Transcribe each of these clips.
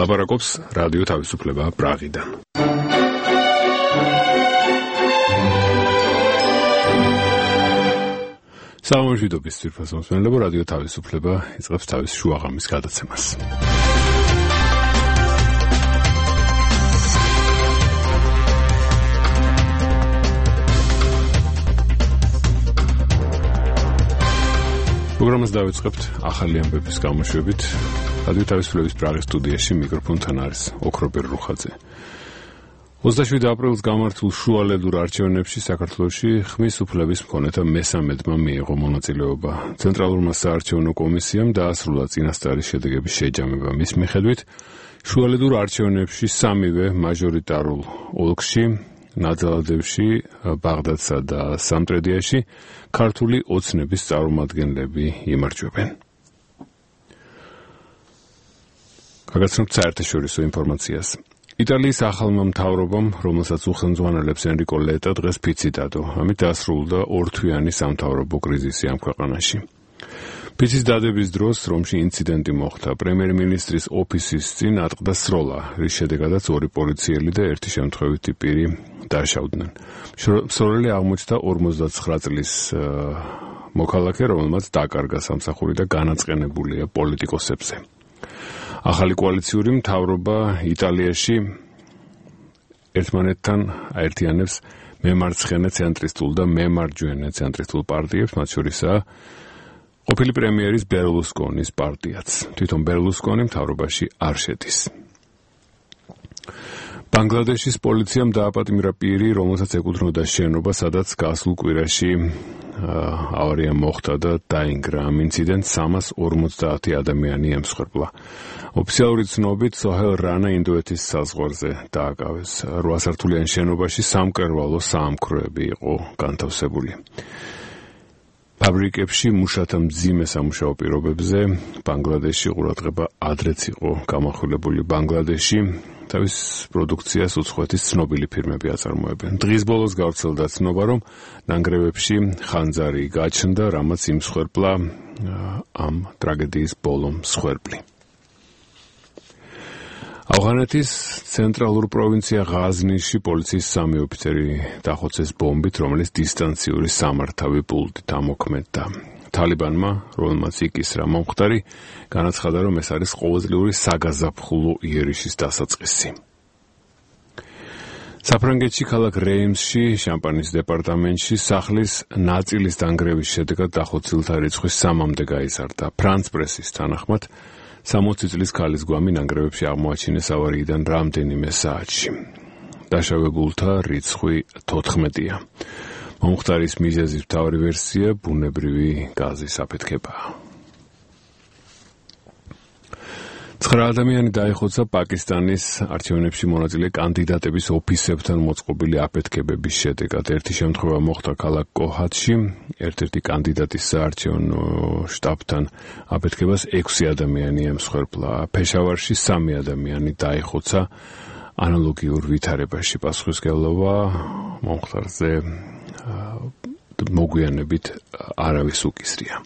ლაპარაკობს რადიო თავისუფლება პრაღიდან. სამშვიდობის ძვირფას მოსმენელებო, რადიო თავისუფლება იწყებს თავის შუაღამის გადაცემას. პროგრამას დავიწყებთ ახალი ამბების გამოშვებით. რადიო თავისუფლების პრაღის სტუდიაში მიკროფონთან არის ოქროპირ რუხაძე. 27 აპრილს გამართულ შუალედურ არჩევნებში საქართველოში ხმის უფლების მქონეთა მესამედმა მიიღო მონაწილეობა. ცენტრალურმა საარჩევნო კომისიამ დაასრულა წინასწარი შედეგების შეჯამება. მის მიხედვით შუალედურ არჩევნებში სამივე მაჟორიტარულ ოლქში, ნაძალადევში, ბაღდადსა და სამტრედიაში ქართული ოცნების წარმომადგენლები იმარჯვებენ. გაგაცნობთ საერთაშორისო ინფორმაციას. იტალიის ახალმა მთავრობამ, რომელსაც უხელმძღვანელებს ენრიკო ლეტა, დღეს ფიცი დადო. ამით დასრულდა ორთვიანი სამთავრობო კრიზისი ამ ქვეყანაში. ფიცის დადების დროს რომში ინციდენტი მოხდა. პრემიერ-მინისტრის ოფისის წინ ატყდა სროლა, რის შედეგადაც ორი პოლიციელი და ერთი შემთხვევითი პირი დაშავდნენ. მსროლელი აღმოჩნდა 59 წლის მოქალაქე, რომელმაც დაკარგა სამსახური და განაწყენებულია პოლიტიკოსებზე. ახალი კოალიციური მთავრობა იტალიაში ერთმანეთთან აერთიანებს მემარცხენე ცენტრისტულ და მემარჯვენე ცენტრისტულ პარტიებს, მათ შორისაა ყოფილი პრემიერის ბერლუსკონის პარტიაც. თვითონ ბერლუსკონი მთავრობაში არ შედის. ბანგლადეშის პოლიციამ დააპატიმრა პირი, რომელსაც ეკუთვნოდა შენობა, სადაც გასულ კვირაში ავარია მოხდა და დაინგრა. ამ ინციდენტს 350 ადამიანი ემსხვერპლა. ოფიციალური ცნობით სოჰელ რანა ინდოეთის საზღვარზე დააკავეს. 8 სართულიან შენობაში სამკერვალო საამქროები იყო განთავსებული. ფაბრიკებში მუშათა მძიმე სამუშაო პირობებზე ბანგლადეში ყურადღება ადრეც იყო გამახვილებული. ბანგლადეში თავის პროდუქციას უცხოეთის ცნობილი ფირმები აწარმოებენ. დღის ბოლოს გავრცელდა ცნობა, რომ ნანგრევებში ხანძარი გაჩნდა, რამაც იმსხვერპლა ამ ტრაგედიის ბოლო მსხვერპლი. ავღანეთის ცენტრალურ პროვინცია ღაზნიში პოლიციის 3 ოფიცერი დახოცეს ბომბით, რომელიც დისტანციური სამართავი პულტით ამოქმედდა. თალიბანმა, რომელმაც იკისრა მომხდარი, განაცხადა, რომ ეს არის ყოველწლიური საგაზაფხულო იერიშის დასაწყისი. საფრანგეთში ქალაქ რეიმსში, შამპანის დეპარტამენტში სახლის ნაწილის დანგრევის შედეგად დახოცილთა რიცხვი 3-მდე გაიზარდა. ფრანც პრესის თანახმად 60 წლის ქალის გვამი ნანგრევებში აღმოაჩინეს ავარიიდან რამდენიმე საათში. დაშავებულთა რიცხვი 14-ია. მომხდარის მიზეზის მთავარი ვერსია ბუნებრივი გაზის აფეთქებაა. 9 ადამიანი დაიხოცა პაკისტანის არჩევნებში მონაწილე კანდიდატების ოფისებთან მოწყობილი აფეთქებების შედეგად. ერთი შემთხვევა მოხდა ქალაქ კოჰათში, ერთ-ერთი კანდიდატის საარჩევნო შტაბთან აფეთქებას 6 ადამიანი ემსხვერპლა. ფეშავარში 3 ადამიანი დაიხოცა ანალოგიურ ვითარებაში. პასუხისმგებლობა მომხდარზე მოგვიანებით არავის უკისრია.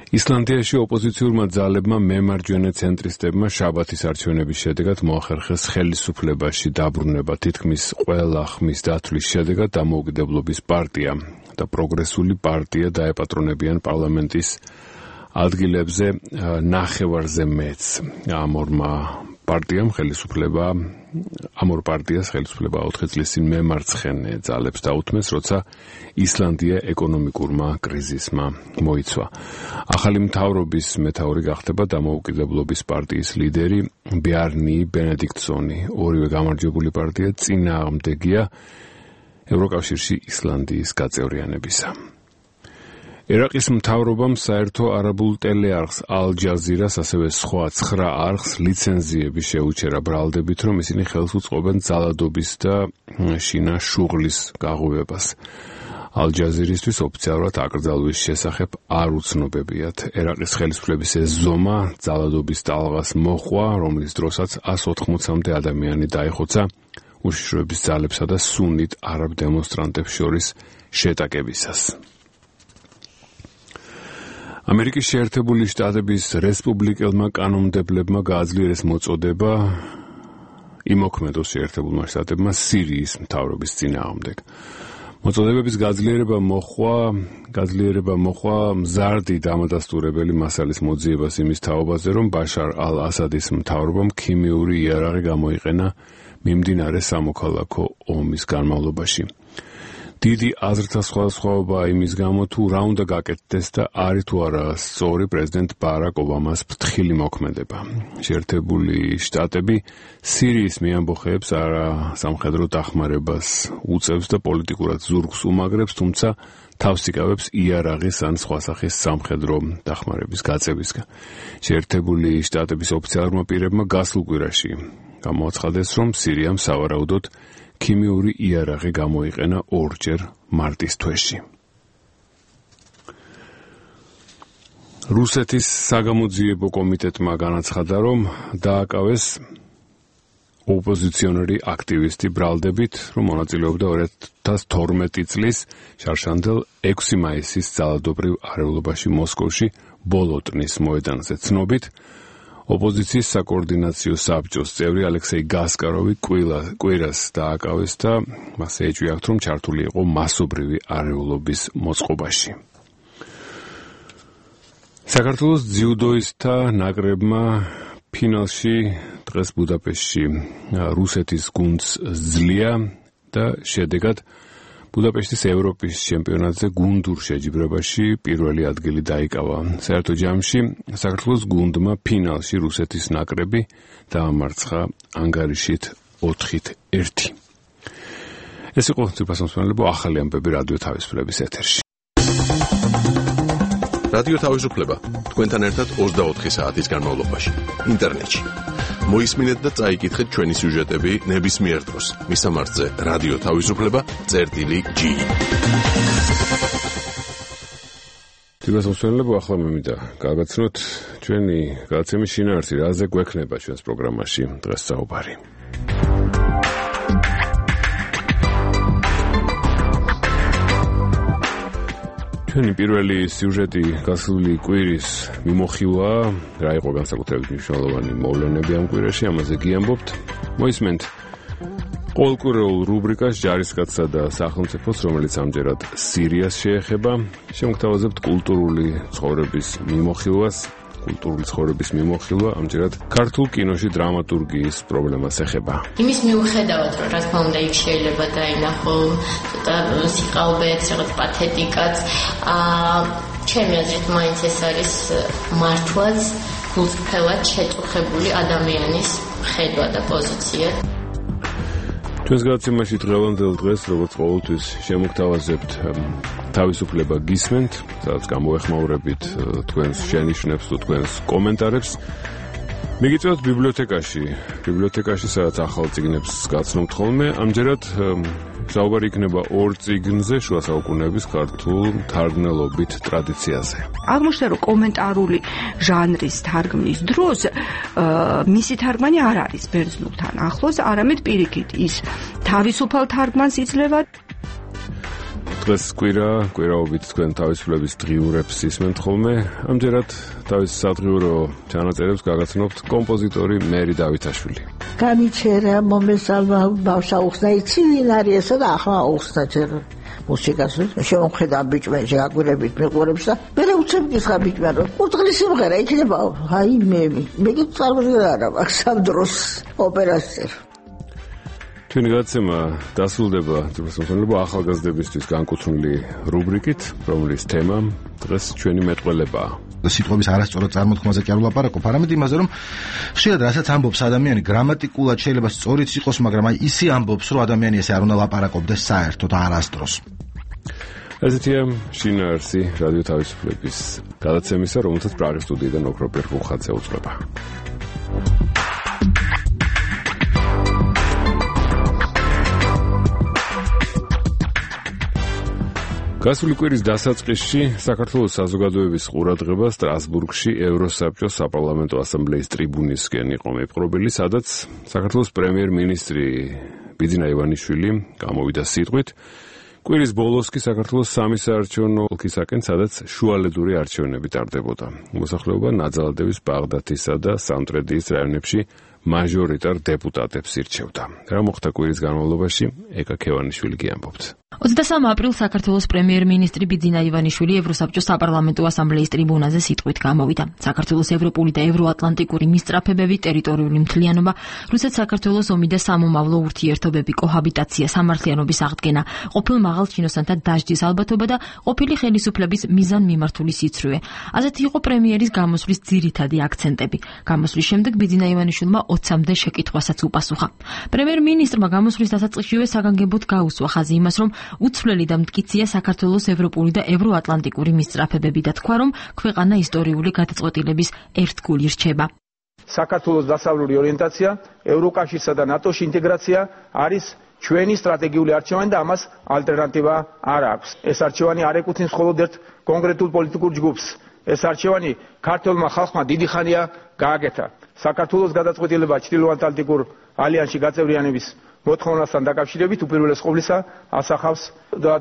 ისლანდიაში ოპოზიციურმა ძალებმა მემარჯვენე ცენტრისტებმა შაბათის არჩევნების შედეგად მოახერხეს ხელისუფლებაში დაბრუნება. თითქმის ყველა ხმის დათვლის შედეგად დამოუკიდებლობის პარტია და პროგრესული პარტია დაეპატრონებიან პარლამენტის ადგილებზე ნახევარზე მეც. ამ ორ პარტიას ხელისუფლება 4 წლის წინ მემარცხენე ძალებს დაუთმეს, როცა ისლანდია ეკონომიკურმა კრიზისმა მოიცვა. ახალი მთავრობის მეთაური გახდება დამოუკიდებლობის პარტიის ლიდერი ბjarni ბენედიქტსონი. ორივე გამარჯვებული პარტია წინააღმდეგია ევროკავშირში ისლანდიის გაწევრიანებისა. ერაყის მთავრობამ საერთო არაბულ ტელეარხს ალ-ჯაზირას, ასევე სხვა 9 არხს ლიცენზიები შეუჩერა, ბრალდებით, რომ ისინი ხელს უწყობენ ძალადობის და შინა შუღლის გაღვივებას. ალ-ჯაზირისთვის ოფიციალურად აკრძალვის შესახებ არ უცნობებიათ. ერაყის ხელისუფლების ეს ზომა ძალადობის ტალღას მოჰყვა, რომლის დროსაც 180-მდე ადამიანი დაიხოცა უშიშროების ძალებსა და სუნით არაბ დემონსტრანტებს შორის შეტაკებისას. ამერიკის შეერთებული შტატების რესპუბლიკელმა კანონმდებლებმა გააძლიერეს მოწოდება იმოქმედოს შეერთებულმა შტატებმა სირიის მთავრობის წინააღმდეგ. მოწოდებების გაძლიერება მოხვა მზარდი დამადასტურებელი მასალის მოძიებას იმის თაობაზე, რომ ბაშარ ალ-ასადის მთავრობამ ქიმიური იარაღი გამოიყენა მიმდინარე სამოქალაქო ომის განმავლობაში. დიდი აზრთა სხვადასხვაობა იმის გამო, თუ რა უნდა გაკეთდეს და არის თუ არა სწორი პრეზიდენტ ბარაკ ობამას ფრთხილი მოქმედება. შეერთებული შტატები სირიის მეამბოხეებს არასამხედრო დახმარებას უწევს და პოლიტიკურად ზურგს უმაგრებს, თუმცა თავს იკავებს იარაღის ან სხვა სახის სამხედრო დახმარების გაწევისგან. შეერთებული შტატების ოფიციალურმა პირებმა გასულ კვირაში გამოაცხადეს, რომ სირიამ სავარაუდოდ ქიმიური იარაღი გამოიყენა ორჯერ მარტის თვეში. რუსეთის საგამოძიებო კომიტეტმა განაცხადა, რომ დააკავეს ოპოზიციონერი აქტივისტი ბრალდებით, რომ მონაწილეობდა 2012 წლის შარშანდელ 6 მაისის ძალადობრივ არეულობაში მოსკოვში ბოლოტნის მოედანზე. ცნობით, ოპოზიციის საკოორდინაციო საბჭოს წევრი ალექსეი გასკაროვი კვირას დააკავეს და მასზე ეჭვიათ, რომ ჩართული იყო მასობრივი არეულობის მოწყობაში. საქართველოს ძიუდოისტთა ნაკრებმა ფინალში დღეს ბუდაპეშტში რუსეთის გუნდს ძლია და შედეგად ბუდაპეშტის ევროპის ჩემპიონატზე გუნდურ შეჯიბრებაში პირველი ადგილი დაიკავა. საერთო ჯამში საქართველოს გუნდმა ფინალში რუსეთის ნაკრები დაამარცხა ანგარიშით 4-1. ეს იყო ძვირფასმოსმენელებო ახალი ამბები რადიო თავისუფლების ეთერში. რადიო თავისუფლება თქვენთან ერთად 24 საათის განმავლობაში ინტერნეტში. მოისმინეთ და წაიკითხეთ ჩვენი სიუჟეტები ნებისმიერ დროს. მისამართზე რადიო თავისუფლება.gi. ძვირფასმოსმენელებო ახლა მემინდა გაგაცნოთ ჩვენი გადაცემის შინაარსი, რაზე გვექნება ჩვენს პროგრამაში დღეს საუბარი. ჩვენი პირველი სიუჟეტი გასული კვირის მიმოხილვა, რა იყო განსაკუთრებით მნიშვნელოვანი მოვლენები ამ კვირაში, ამაზე გიამბობთ. მოისმენთ ყოველკვირეულ რუბრიკას ჯარისკაცსა და სახელმწიფოს, რომელიც ამჯერად სირიას შეეხება. შემოგთავაზებთ კულტურული ცხოვრების მიმოხილვა, ამჯერად ქართულ კინოში დრამატურგიის პრობლემას ეხება. იმის მიუხედავად, რომ რა თქმა უნდა იქ შეიძლება დაინახო ცოტა სიყალბეც, რაღაც პათეტიკაც, ჩემი აზრით მაინც ეს არის მართლაც გულწრფელად შეწუხებული ადამიანის ხედვა და პოზიცია. ჩვენს გადაცემაში დღევანდელ დღეს, როგორც ყოველთვის, შემოგთავაზებთ თავისუფლება გისმენთ, სადაც გამოეხმაურებით თქვენს შენიშვნებს თუ თქვენს კომენტარებს. მიგიწევთ ბიბლიოთეკაში, სადაც ახალ წიგნებს გაცნობთ ხოლმე. ამჯერად საუბარი იქნება ორ წიგნზე შუა საუკუნეების ქართულ თარგმნელობით ტრადიციაზე. აღმოჩნდა, რომ კომენტარული ჟანრის თარგმნის დროს მისი თარგმანი არ არის ბერძნულთან ახლოს, არამედ პირიქით ის თავისუფალ თარგმანს იძლევა. დღეს კვირაობით თქვენ თავისუფლების დღიურებს ისმენთ ხოლმე. ამჯერად თავის სადღიურო ჩანაწერებს გაგაცნობთ კომპოზიტორი მერი დავითაშვილი. განიჩერა მომესალმა ბავშა უხსნა, იცი ვინ არის ესა და ახლა უხსნა ჯერ მუსიკას. შემოხედა ბიჭმენში აკვირებით მეყურებს და მე უცებ გიხა ბიჭმა, რომ უძღლის სიმღერა იქნება. აი მე გიწარმოჟდა არა აქ სამ დროს ოპერაციერ. ჩვენი გადაცემა დასრულდება ძვირფასმოსმენელებო ახალგაზრდებისთვის განკუთვნილი რუბრიკით, რომლის თემა დღეს ჩვენი მეტყველებაა. სიტყვების არასწორად წარმოთქმაზე კი არ ვლაპარაკობ, არამედ იმაზე, რომ ხშირად რასაც ამბობს ადამიანი გრამატიკულად შეიძლება სწორიც იყოს, მაგრამ აი ისი ამბობს, რომ ადამიანი ესე არ უნდა ლაპარაკობდეს საერთოდ არასდროს. ესეთია შინაარსი რადიო თავისუფლების გადაცემისა, რომელსაც პრაღის სტუდიიდან ოქროპირ ხუხაძე უძღვება. გასული კვირის დასაწყისში საქართველოს საზოგადოების ყურადღება სტრასბურგში ევროსაბჭოს საპარლამენტო ასამბლეის ტრიბუნისკენ იყო მიპყრობილი, სადაც საქართველოს პრემიერ-მინისტრი ბიძინა ივანიშვილი გამოვიდა სიტყვით, კვირის ბოლოს კი საქართველოს სამი საარჩევნო ოლქისაკენ, სადაც შუალედური არჩევნები ტარდებოდა. მოსახლეობა ნაძალადევის, ბაღდათისა და სამტრედიის რაიონებში მაჟორიტარ დეპუტატებს ირჩევდა. რა მოხდა კვირის განმავლობაში, ეკა ქევანიშვილი კი ამბობს. 23 აპრილს საქართველოს პრემიერ-მინისტრი ბიძინა ივანიშვილი ევროსაბჭოს საპარლამენტო ასამბლეის ტრიბუნაზე სიტყვით გამოვიდა. საქართველოს ევროპული და ევროატლანტიკური მისწრაფებები, ტერიტორიული მთლიანობა, რუსეთ-საქართველოს ომი და სამომავლო ურთიერთობები, კოჰაბიტაცია, სამართლიანობის აღდგენა, ყოფილ მაღალ ჩინოსანთა დასჯის ალბათობა და ყოფილი ხელისუფლების მიზანმიმართული სიცრუე. ასეთი იყო პრემიერის გამოსვლის ძირითადი აქცენტები. გამოსვლის შემდეგ ბიძინა ივანიშვილმა 20-მდე შეკითხვასაც უპასუხა. პრემიერ-მინისტრმა გამოსვლის დასაწყისშივე საგანგებოდ გაუსვა ხაზი იმას, რომ უცვლელი და მტკიცეა საქართველოს ევროპული და ევროატლანტიკური მისწრაფებები და თქვა, რომ ქვეყანა ისტორიული გადაწყვეტილების ერთგული რჩება. საქართველოს დასავლური ორიენტაცია, ევროკავშირსა და ნატოში ინტეგრაცია არის ჩვენი სტრატეგიული არჩევანი და ამას ალტერნატივა არ აქვს. ეს არჩევანი არ ეკუთვნის მხოლოდ ერთ კონკრეტულ პოლიტიკურ ჯგუფს. ეს არჩევანი ქართველმა ხალხმა დიდი ხანია გააკეთა. საქართველოს გადაწყვეტილება ჩრდილოატლანტიკურ ალიანსში გაწევრიანების მოთხოვნასთან დაკავშირებით უპირველეს ყოვლისა ასახავს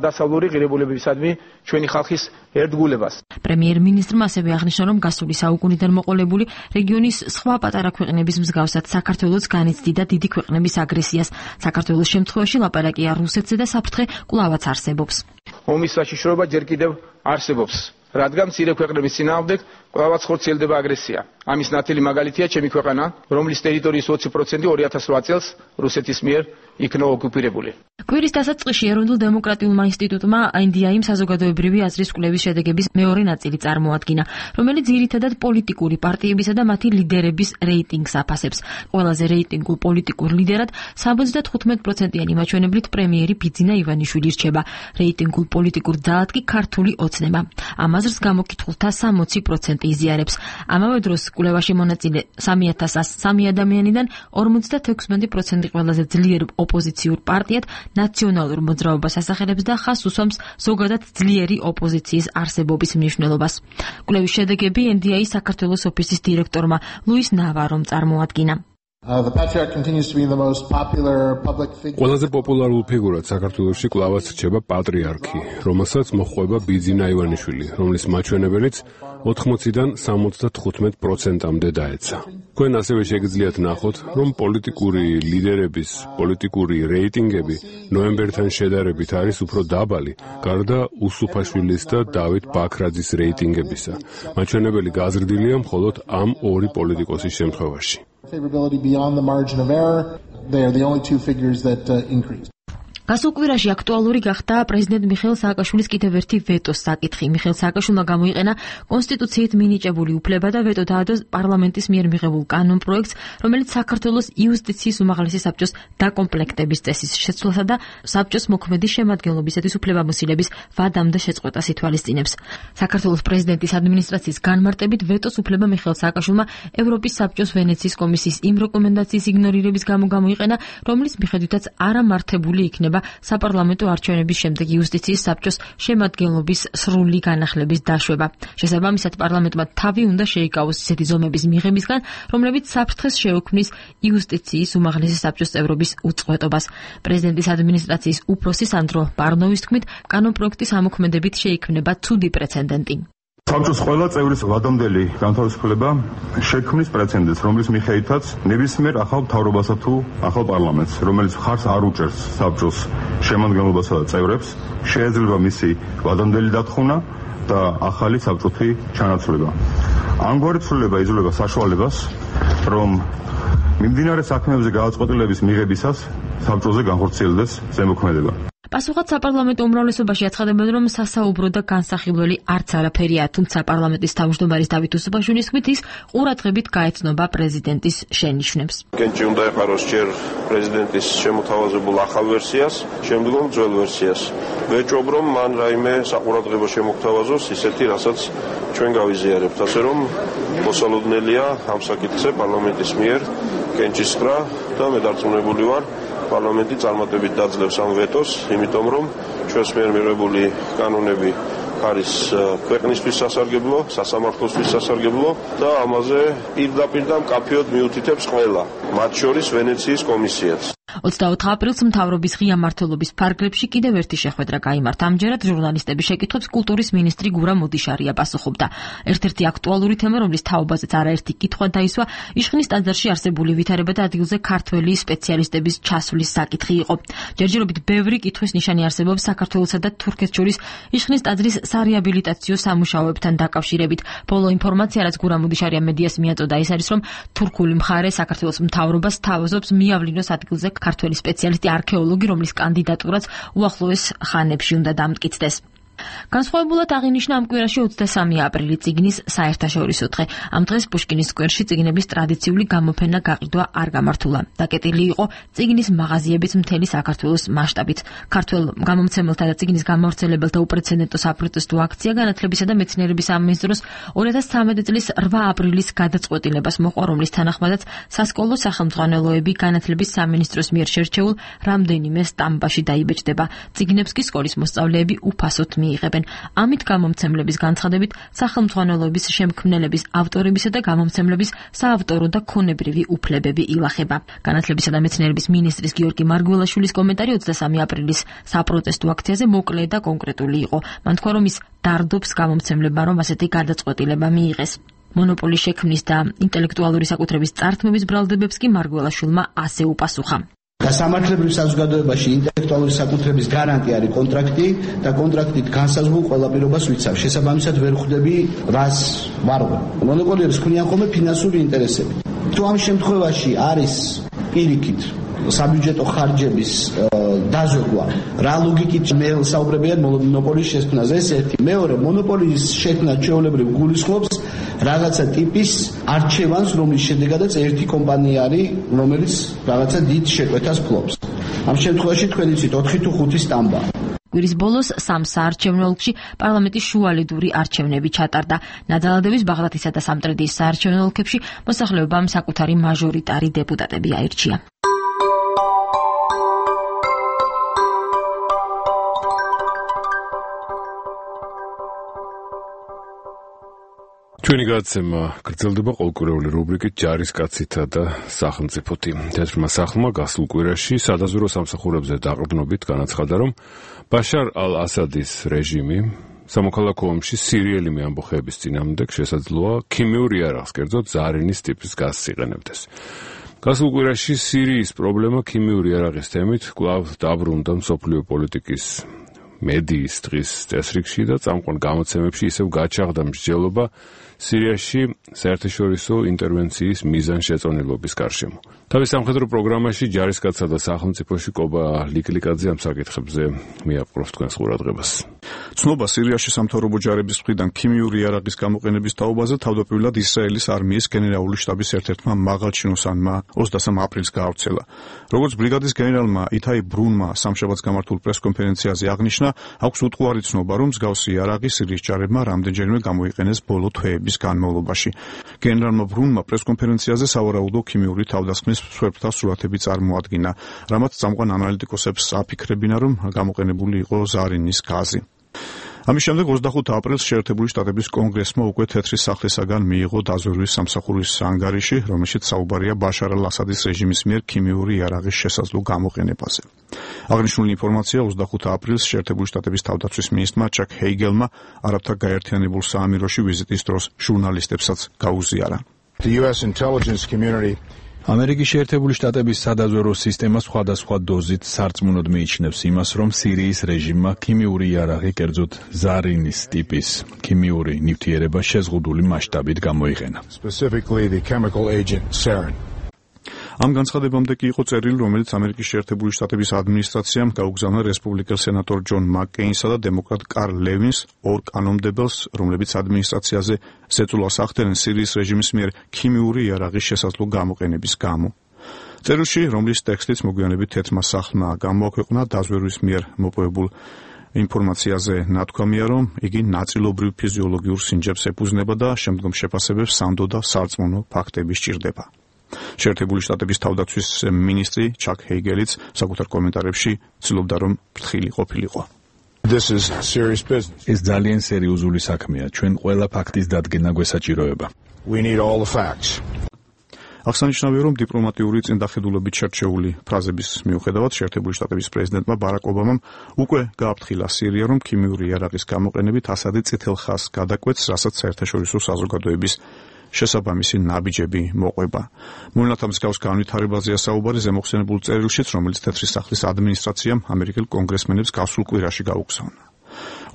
დასავლური ღირებულებებისადმი ჩვენი ხალხის ერთგულებას. პრემიერ-მინისტრმა ასევე აღნიშნა, რომ გასული საუკუნიდან მოყოლებული რეგიონის სხვა პატარა ქვეყნების მსგავსად საქართველოს განიცდიდა დიდი ქვეყნების აგრესიას. საქართველოს შემთხვევაში ლაპარაკია რუსეთზე და საფრთხე კვლავაც არსებობს. ომის საშიშროება ჯერ კიდევ არსებობს. რადგან მცირე ქვეყნების წინააღმდეგ კვლავაც ხორციელდება აგრესია. ამის ნათელი მაგალითია ჩემი ქვეყანა, რომლის ტერიტორიის 20% 2008 წელს რუსეთის მიერ იქნა ოკუპირებული. კვირის დასაწყისში ეროვნულ დემოკრატიულმა ინსტიტუტმა NDI საზოგადოებრივი აზრის კვლევის შედეგების მეორე ნაწილი წარმოადგინა, რომელიც ძირითადად პოლიტიკური პარტიებისა და მათი ლიდერების რეიტინგს აფასებს. ყველაზე რეიტინგულ პოლიტიკურ ლიდერად 75%-იანი მაჩვენებლით პრემიერი ბიძინა ივანიშვილი რჩება. რეიტინგულ პოლიტიკურ ძალად კი ქართული ოცნება. ამ აზრს გამოკითხულთა 60% იზიარებს. ამავე დროს კვლევაში მონაწილე 3103 ადამიანიდან 56% ყველაზე ძლიერ ოპოზიციურ პარტიად ნაციონალურ მოძრაობას ასახელებს და ხაზს უსვამს ზოგადად ძლიერი ოპოზიციის არსებობის მნიშვნელობას. კვლევის შედეგები NDI საქართველოს ოფისის დირექტორმა ლუის ნავარომ წარმოადგინა. ყველაზე პოპულარულ ფიგურად საქართველოში კვლავაც რჩება პატრიარქი, რომელსაც მოჰყვება ბიძინა ივანიშვილი, რომლის მაჩვენებელიც 80-დან 75%-მდე დაეცა. თქვენ ასევე შეგიძლიათ ნახოთ, რომ პოლიტიკური ლიდერების პოლიტიკური რეიტინგები ნოემბერთან შედარებით არის უფრო დაბალი, გარდა უსუფაშვილის და დავით ბაქრაძის რეიტინგებისა. მაჩვენებელი გაზრდილია მხოლოდ ამ ორი პოლიტიკოსის შემთხვევაში. Favorability beyond the margin of error, they are the only two figures that increased. გასულ კვირაში აქტუალური გახდა პრეზიდენტ მიხეილ სააკაშვილის კიდევ ერთი ვეტოს საკითხი. მიხეილ სააკაშვილმა გამოიყენა კონსტიტუციით მინიჭებული უფლება და ვეტო დაადო პარლამენტის მიერ მიღებულ კანონპროექტს, რომელიც საქართველოს იუსტიციის უმაღლესი საბჭოს დაკომპლექტების წესის შეცვლასა და საბჭოს მოქმედი შემადგენლობისათვის უფლებამოსილების ვადამდე შეწყვეტას ითვალისწინებს. საქართველოს პრეზიდენტის ადმინისტრაციის განმარტებით ვეტოს უფლება მიხეილ სააკაშვილმა ევროპის საბჭოს ვენეციის კომისიის იმ რეკომენდაციის იგნორირების გამო გამოიყენა, რომლის მიხედვითაც არამართებული იქნება საპარლამენტო არჩევნების შემდეგ იუსტიციის საბჭოს შემადგენლობის სრული განახლების დაშვება. შესაბამისად, პარლამენტმა თავი უნდა შეიკავოს ისეთი ზომების მიღებისგან, რომლებიც საფრთხეს შეუქმნის იუსტიციის უმაღლესი საბჭოს წევრობის უწყვეტობას. პრეზიდენტის ადმინისტრაციის უფროსი სანდრო ბარნოვის თქმით, კანონპროექტის ამოქმედებით შეიქმნება ცუდი პრეცედენტი. საბჭოს ყველა წევრის ვადამდელი განთავისუფლება შექმნის პრეცედენტს, რომლის მიხედვითაც ნებისმიერ ახალ მთავრობასა თუ ახალ პარლამენტს, რომელიც მხარს არ უჭერს საბჭოს შემადგენლობასა და წევრებს, შეეძლება მისი ვადამდელი დათხოვნა და ახალი საბჭოთი ჩანაცვლება. ამგვარი ცვლილება იძლევა საშუალებას, რომ მიმდინარე საქმეებზე გადაწყვეტილების მიღებისას საბჭოზე განხორციელდეს ზემოქმედება. პასუხად საპარლამენტო უმრავლესობაში აცხადებენ, რომ სასაუბრო და განსახილველი არც არაფერია, თუმცა პარლამენტის თავმჯდომარის დავით უსუფაშვილის თქმით, ის ყურადღებით გაეცნობა პრეზიდენტის შენიშვნებს. კენჭი უნდა ეყაროს ჯერ პრეზიდენტის შემოთავაზებულ ახალ ვერსიას, შემდგომ ძველ ვერსიას. ვეჭობ, რომ მან რაიმე საყურადღებო შემოგთავაზოს ისეთი, რასაც ჩვენ გავიზიარებთ, ასე რომ მოსალოდნელია ამ საკითხზე პარლამენტის მიერ კენჭის ყრა და მე დარწმუნებული ვარ, პარლამენტი წარმატებით დაძლევს ამ ვეტოს, იმიტომ რომ ჩვენს მიერ მიღებული კანონები არის ქვეყნისთვის სასარგებლო, სასამართლოსთვის სასარგებლო და ამაზე პირდაპირ და მკაფიოდ მიუთითებს ყველა, მათ შორის ვენეციის კომისიაც. 24 აპრილს მთავრობის ღია მმართველობის ფარგლებში კიდევ ერთი შეხვედრა გაიმართა. ამჯერად ჟურნალისტების შეკითხვებს კულტურის მინისტრი გურა მოდიშარია პასუხობდა. ერთ-ერთი აქტუალური თემა, რომლის თაობაზეც არაერთი კითხვა დაისვა, იშხნის ტაძარში არსებული ვითარებათა ადგილზე ქართველი სპეციალისტების ჩასვლის საკითხი იყო. ჯერჯერობით ბევრი კითხვის ნიშანი არსებობს საქართველოსა და თურქეთს შორის იშხნის ტაძრის სარეაბილიტაციო სამუშაოებთან დაკავშირებით. ბოლო ინფორმაცია, რაც გურა მოდიშარია მედიას მიაწოდა, ის არის, რომ თურქული მხარე საქართველოს მთავრობას თავაზობს მიავლინოს ადგილზე ქართველი სპეციალისტი არქეოლოგი, რომლის კანდიდატურაც უახლოეს ხანებში უნდა დამტკიცდეს. განსხვავებულად აღინიშნა ამ კვირაში 23 აპრილი წიგნის საერთაშორისო დღე. ამ დღეს პუშკინის სკვერში წიგნების ტრადიციული გამოფენა გაყიდვა არ გამართულა. დაკეტილი იყო წიგნის მაღაზიების მთელი საქართველოს მასშტაბით. ქართველ გამომცემელთა და წიგნის გამავრცელებელთა უპრეცედენტო საპროტესტო აქცია განათლებისა და მეცნიერების სამინისტროს 2013 წლის 8 apრილის გადაწყვეტილებას მოყვა, რომლის თანახმადაც სასკოლო სახელმძღვანელოები განათლების სამინისტროს მიერ შერჩეულ რამდენიმე სტამბაში დაიბეჭდება. წიგნებს კი სკოლის მოსწავლეები უფასოდ მიიღებენ. ამით გამომცემლების განცხადებით სახელმძღვანელოების შემქმნელების ავტორებისა და გამომცემლების საავტორო და ქონებრივი უფლებები ილახება. განათლებისა და მეცნიერების მინისტრის გიორგი მარგველაშვილის კომენტარი 23 აპრილის საპროტესტო აქციაზე მოკლე და კონკრეტული იყო. მან თქვა, რომ ის დარდობს გამომცემლებმა, რომ ასეთი გადაწყვეტილება მიიღეს. მონოპოლის შექმნის და ინტელექტუალური საკუთრების წართმების ბრალდებებს კი მარგველაშვილმა ასე უპასუხა. Გასამართლებრივ საზოგადოებაში ინტელექტუალური საკუთრების გარანტი არის კონტრაქტი და კონტრაქტით განსაზღვრულ ყველა პირობას ვიცავ. შესაბამისად ვერ ხვდები რას ვარღვე. მონოპოლიებს ქმნიან ხოლმე ფინანსური ინტერესები. თუ ამ შემთხვევაში არის პირიქით საბიუჯეტო ხარჯების დაზოგვა, რა ლოგიკით მე საუბრებია მონოპოლის შექმნაზე, ეს ერთი. მეორე, მონოპოლის შექმნა ჩვეულებრივ გულისხმობს რაღაცა ტიპის არჩევანს, რომლის შედეგადაც ერთი კომპანია არის, რომელიც რაღაცა დიდ შეკვეთას ფლობს. ამ შემთხვევაში თქვენ იცით 4 თუ 5 სტამბა. კვირის ბოლოს სამ საარჩევნო ოლქში პარლამენტის შუალედური არჩევნები ჩატარდა. ნადალადევის, ბაღდათისა და სამტრედიის საარჩევნო ოლქებში მოსახლეობამ საკუთარი მაჟორიტარი დეპუტატები აირჩია. ჩვენი გადაცემა გრძელდება ყოველკვირეული რუბრიკით ჯარისკაცითა და სახელმწიფოთი. თეთრმა სახლმა გასულ კვირაში სადაზვერო სამსახურებზე დაყრდნობით განაცხადა, რომ ბაშარ ალ-ასადის რეჟიმი სამოქალაქო ომში სირიელი ამბოხეების წინააღმდეგ შესაძლოა ქიმიურ იარაღს, კერძოდ ზარინის ტიპის გაზს იყენებდეს. გასულ კვირაში სირიის პრობლემა ქიმიურ იარაღის თემით კვლავ დაბრუნდა მსოფლიო პოლიტიკის მედიის დღის წესრიგში და წამყვან გამოცემებში ისევ გაჩაღდა მსჯელობა სირიაში საერთაშორისო ინტერვენციის მიზანშეწონილობის გარშემო. თავის სამხედრო პროგრამაში ჯარისკაცსა და სახელმწიფოში კობა ლიკლიკაძე ამ საკითხებზე მიაპყრობს თქვენს ყურადღებას. ცნობა სირიაში სამთავრობო ჯარების მხრიდან ქიმიური იარაღის გამოყენების თაობაზე თავდაპირველად ისრაელის არმიის გენერალური შტაბის ერთ-ერთმა მაღალჩინოსანმა 23 აპრილს გაავრცელა. როგორც ბრიგადის გენერალმა ითაი ბრუნმა სამშაბათს გამართულ პრესკონფერენციაზე აღნიშნა, აქვს უტყუარი ცნობა, რომ მსგავსი იარაღი სირიის ჯარებმა რამდენჯერმე გამოიყენეს ბოლო თვეების განმავლობაში. გენერალმა ბრუნმა პრესკონფერენციაზე სავარაუდო ქიმიური თავდასხმის მსხვერპლთა სურათები წარმოადგინა, რამაც წამყვან ანალიტიკოსებს აფიქრებინა, რომ გამოყენებული იყო ზარინის გაზი. ამის შემდეგ 25 აპრილს შეერთებული შტატების კონგრესმა უკვე თეთრი სახლისაგან მიიღო დაზვერვის სამსახურის ანგარიში, რომელშიც საუბარია ბაშარ ალ-ასადის რეჟიმის მიერ ქიმიური იარაღის შესაძლო გამოყენებაზე. აღნიშნული ინფორმაცია 25 აპრილს შეერთებული შტატების თავდაცვის მინისტრმა ჩაკ ჰეიგელმა არაბთა გაერთიანებულ საამიროში ვიზიტის დროს ჟურნალისტებსაც გაუზიარა. ამერიკის შეერთებული შტატების სადაზვერო სისტემა სხვადასხვა დოზით სარწმუნოდ მიიჩნევს იმას, რომ სირიის რეჟიმმა ქიმიური იარაღი, კერძოდ ზარინის ტიპის ქიმიური ნივთიერება შეზღუდული მასშტაბით გამოიყენა. ამ განცხადებამდე კი იყო წერილი, რომელიც ამერიკის შეერთებული შტატების ადმინისტრაციამ გაუგზავნა რესპუბლიკელ სენატორ ჯონ მაკკეინსა და დემოკრატ კარლ ლევინს, ორ კანონმდებელს, რომლებიც ადმინისტრაციაზე ზეწოლას ახდენენ სირიის რეჟიმის მიერ ქიმიური იარაღის შესაძლო გამოყენების გამო. წერილში, რომლის ტექსტიც მოგვიანებით თეთრმა სახლმა გამოაქვეყნა, დაზვერვის მიერ მოპოვებულ ინფორმაციაზე ნათქვამია, რომ იგი ნაწილობრივ ფიზიოლოგიურ სინჯებს ეფუძნება და შემდგომ შეფასებებს სანდო და სარწმუნო ფაქტები სჭირდება. შეერთებული შტატების თავდაცვის მინისტრი ჩაკ ჰეიგელიც საკუთარ კომენტარებში ცდილობდა, რომ ფრთხილი ყოფილიყო. ეს ძალიან სერიოზული საქმეა. ჩვენ ყველა ფაქტის დადგენა გვესაჭიროება. აღსანიშნავია, რომ დიპლომატიური წინდახედულობით შერჩეული ფრაზების მიუხედავად შეერთებული შტატების პრეზიდენტმა ბარაკ ობამამ უკვე გააფრთხილა სირია, რომ ქიმიური იარაღის გამოყენებით ასადი წითელ ხაზს გადაკვეთს, რასაც საერთაშორისო საზოგადოების შესაბამისი ნაბიჯები მოყვება. მოვლენათა მსგავს განვითარებაზეა საუბარი ზემოხსენებულ წერილშიც, რომელიც თეთრი სახლის ადმინისტრაციამ ამერიკელ კონგრესმენებს გასულ კვირაში გაუგზავნა.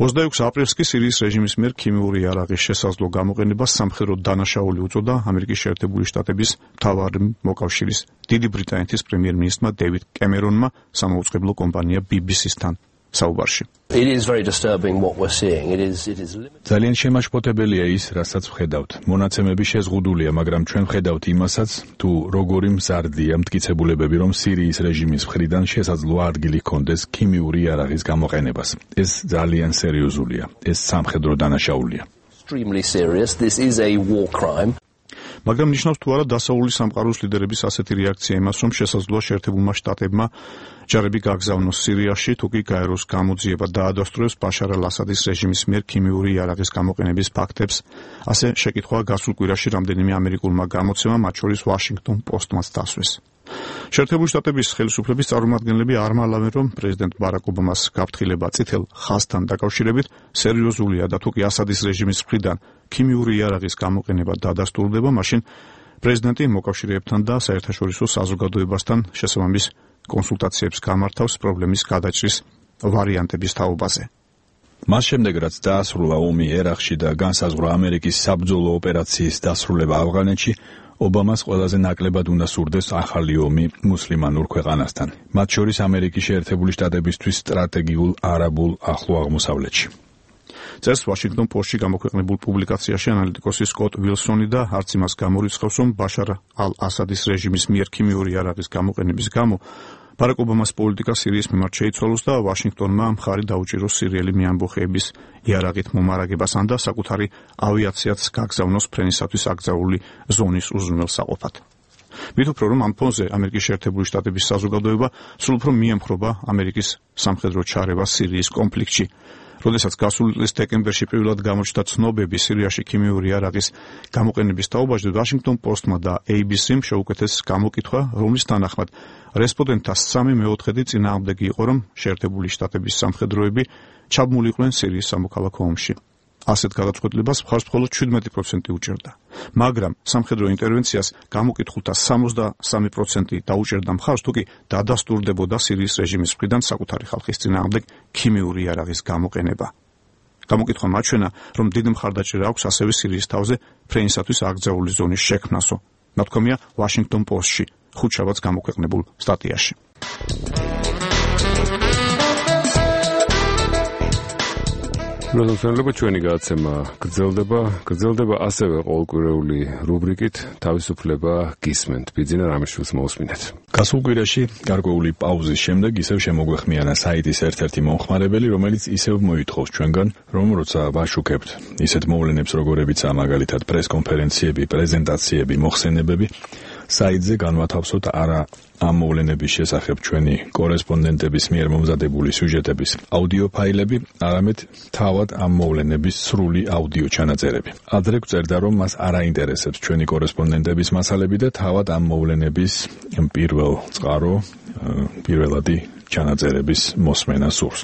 26 აპრილს კი სირიის რეჟიმის მიერ ქიმიური იარაღის შესაძლო გამოყენებას სამხედრო დანაშაული უწოდა ამერიკის შეერთებული შტატების მთავარი მოკავშირის დიდი ბრიტანეთის პრემიერ-მინისტრმა დეივიდ კემერონმა სამაუწყებლო კომპანია BBC-სთან საუბარში. ძალიან შემაშფოთებელია ის, რასაც ვხედავთ. მონაცემები შეზღუდულია, მაგრამ ჩვენ ვხედავთ იმასაც, თუ როგორი მზარდია მტკიცებულებები, რომ სირიის რეჟიმის მხრიდან შესაძლოა ადგილი ჰქონდეს ქიმიური იარაღის გამოყენებას. ეს ძალიან სერიოზულია. ეს სამხედრო დანაშაულია. მაგრამ ნიშნავს თუ არა დასავლური სამყაროს ლიდერების ასეთი რეაქცია იმას, რომ შესაძლოა შეერთებულმა შტატებმა ჯარები გაგზავნოს სირიაში, თუ კი გაეროს გამოძიება დაადასტურებს ბაშარ ალ-ასადის რეჟიმის მიერ ქიმიური იარაღის გამოყენების ფაქტებს. ასე შეკითხვაა გასულ კვირაში რამდენიმე ამერიკულმა გამოცემამ, მათ შორის Washington Post-მაც დასვეს. შეერთებული შტატების ხელისუფლების წარმომადგენლები არ მალავენ, რომ პრეზიდენტ ბარაკ ობამას გაფრთხილება წითელ ხაზთან დაკავშირებით სერიოზულია და თუ კი ასადის რეჟიმის მხრიდან ქიმიური იარაღის გამოყენება დადასტურდება, მაშინ პრეზიდენტი მოკავშირეებთან და საერთაშორისო საზოგადოებასთან შესაბამის კონსულტაციებს გამართავს პრობლემის გადაჭრის ვარიანტების თაობაზე. მას შემდეგ, რაც დაასრულა ომი ერაყში და განსაზღვრა ამერიკის საბრძოლო ოპერაციის დასრულება ავღანეთში, ობამას ყველაზე ნაკლებად უნდა სურდეს ახალი ომი მუსლიმანურ ქვეყანასთან, მათ შორის ამერიკის შეერთებული შტატებისთვის სტრატეგიულ არაბულ ახლო აღმოსავლეთში. წელს Washington Post-ში გამოქვეყნებულ პუბლიკაციაში ანალიტიკოსი სკოტ ვილსონი და არც იმას გამორიცხავს, რომ ბაშარ ალ-ასადის რეჟიმის მიერ ქიმიური იარაღის გამოყენების გამო ბარაკ ობამას პოლიტიკა სირიის მიმართ შეიცვალოს და ვაშინგტონმა მხარი დაუჭიროს სირიელი მეამბოხეების იარაღით მომარაგებასთან და საკუთარი ავიაციაც გაგზავნოს ფრენისათვის აკრძალული ზონის უზრუნველსაყოფად. მით უფრო რომ ამ ფონზე ამერიკის შეერთებული შტატების საზოგადოება სულ უფრო მიემხრობა ამერიკის სამხედრო ჩარევას სირიის კონფლიქტში. როდესაც გასული წლის დეკემბერში პირველად გამოჩნდა ცნობები სირიაში ქიმიური იარაღის გამოყენების თაობაზე, Washington Post-მა და ABC-მ შეუკეთეს გამოკითხვა, რომლის თანახმად რესპონდენტთა 3/4 წინააღმდეგი იყო, რომ შეერთებული შტატების სამხედროები ჩაბმულიყვნენ სირიის სამოქალაქო ომში. ასეთ გადაწყვეტილებას მხარს მხოლოდ 17% უჭერდა. მაგრამ სამხედრო ინტერვენციას გამოკითხულთა 63% დაუჭერდა მხარს, თუ კი დადასტურდებოდა სირიის რეჟიმის მხრიდან საკუთარი ხალხის წინააღმდეგ ქიმიური იარაღის გამოყენება. გამოკითხვა მაჩვენა, რომ დიდი მხარდაჭერა აქვს ასევე სირიის თავზე ფრენისათვის აკრძალული ზონის შექმნასო. ნათქვამია Washington Post-ში, ხუთშაბათს გამოქვეყნებულ სტატიაში. მოგესალმებით, ჩვენი გადაცემა გრძელდება ასევე ყოველკვირეული რუბრიკით თავისუფლება გისმენთ. ბიძინა რამიშვილს მოусმინეთ. გასულ კვირაში გარკვეული პაუზის შემდეგ ისევ შემოგვეხმიანა საიტის ერთ-ერთი მომხმარებელი, რომელიც ისევ მოითხოვს ჩვენგან, რომ როცა ვაშუქებთ ისეთ მოვლენებს, როგორებიცაა მაგალითად პრესკონფერენციები, პრეზენტაციები, მოხსენებები, საიტზე განვათავსოთ არა ამ მოვლენების შესახებ ჩვენი კორესპონდენტების მიერ მომზადებული სიუჟეტების აუდიო ფაილები, არამედ თავად ამ მოვლენების სრული აუდიო ჩანაწერები. ადრე გვწერდა, რომ მას არ აინტერესებს ჩვენი კორესპონდენტების მასალები და თავად ამ მოვლენების პირველადი ჩანაწერების მოსმენა სურს.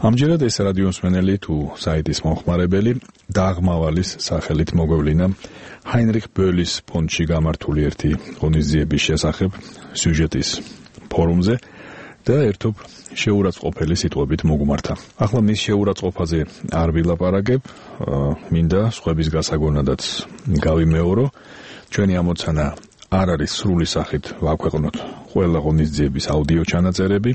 ამჯერად ეს რადიომსმენელი თუ საიტის მომხმარებელი დაღმავალის სახელით მოგვევლინა ჰაინრიხ ბოლის ფონდში გამართული ერთი ღონისძიების შესახებ სიუჟეტის ფორუმზე და ერთობ შეურაცხყოფელი სიტყვებით მოგუმართა. ახლა მის შეურაცხყოფაზე არ ვილაპარაკებ, მინდა სხვების გასაგონადაც გავიმეორო. ჩვენი ამოცანა არ არის სრული სახით ვაქვეყნოთ ყველა ღონისძიების აუდიო ჩანაწერები,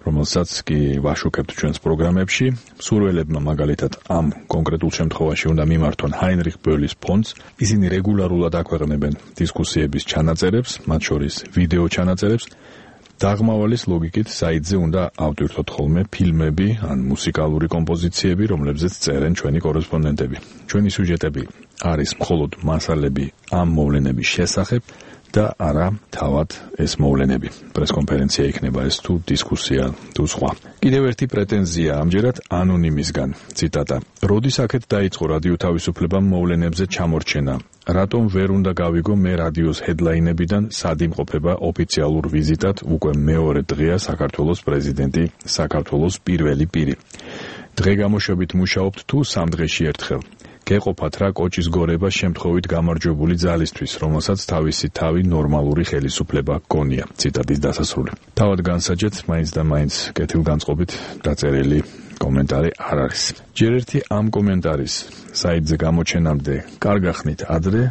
რომელსაც კი ვაშუქებთ ჩვენს პროგრამებში. მსურველებმა მაგალითად ამ კონკრეტულ შემთხვევაში უნდა მიმართონ ჰაინრიხ ბოლის ფონდს. ისინი რეგულარულად აქვეყნებენ დისკუსიების ჩანაწერებს, მათ შორის ვიდეო ჩანაწერებს. დაღმავალის ლოგიკით საიტზე უნდა ავტვირთოთ ხოლმე ფილმები ან მუსიკალური კომპოზიციები, რომლებზეც წერენ ჩვენი კორესპონდენტები. ჩვენი სიუჟეტები არის მხოლოდ მასალები ამ მოვლენების შესახებ და არა თავად ეს მოვლენები. პრესკონფერენცია იქნება ეს თუ დისკუსია თუ სხვა. კიდევ ერთი პრეტენზია ამჯერად ანონიმისგან. ციტატა: როდის აქეთ დაიწყო რადიო თავისუფლებამ მოვლენებზე ჩამორჩენა? რატომ ვერ უნდა გავიგო მე რადიოს ჰედლაინებიდან სად იმყოფება ოფიციალურ ვიზიტად უკვე მეორე დღეა საქართველოს პრეზიდენტი, საქართველოს პირველი პირი. დღე გამოშვებით მუშაობთ თუ 3 დღეში ერთხელ. გეყოფათ რა კოჭის გორება შემთხვევით გამარჯვებული ძალისთვის, რომელსაც თავისი თავი ნორმალური ხელისუფლება გონია. ციტატის დასასრული. თავად განსაჯეთ, მაინც და მაინც კეთილგანწყობით დაწერილი კომენტარი არ არის. ჯერ ერთი ამ კომენტარის საიტზე გამოჩენამდე კარგახნით ადრე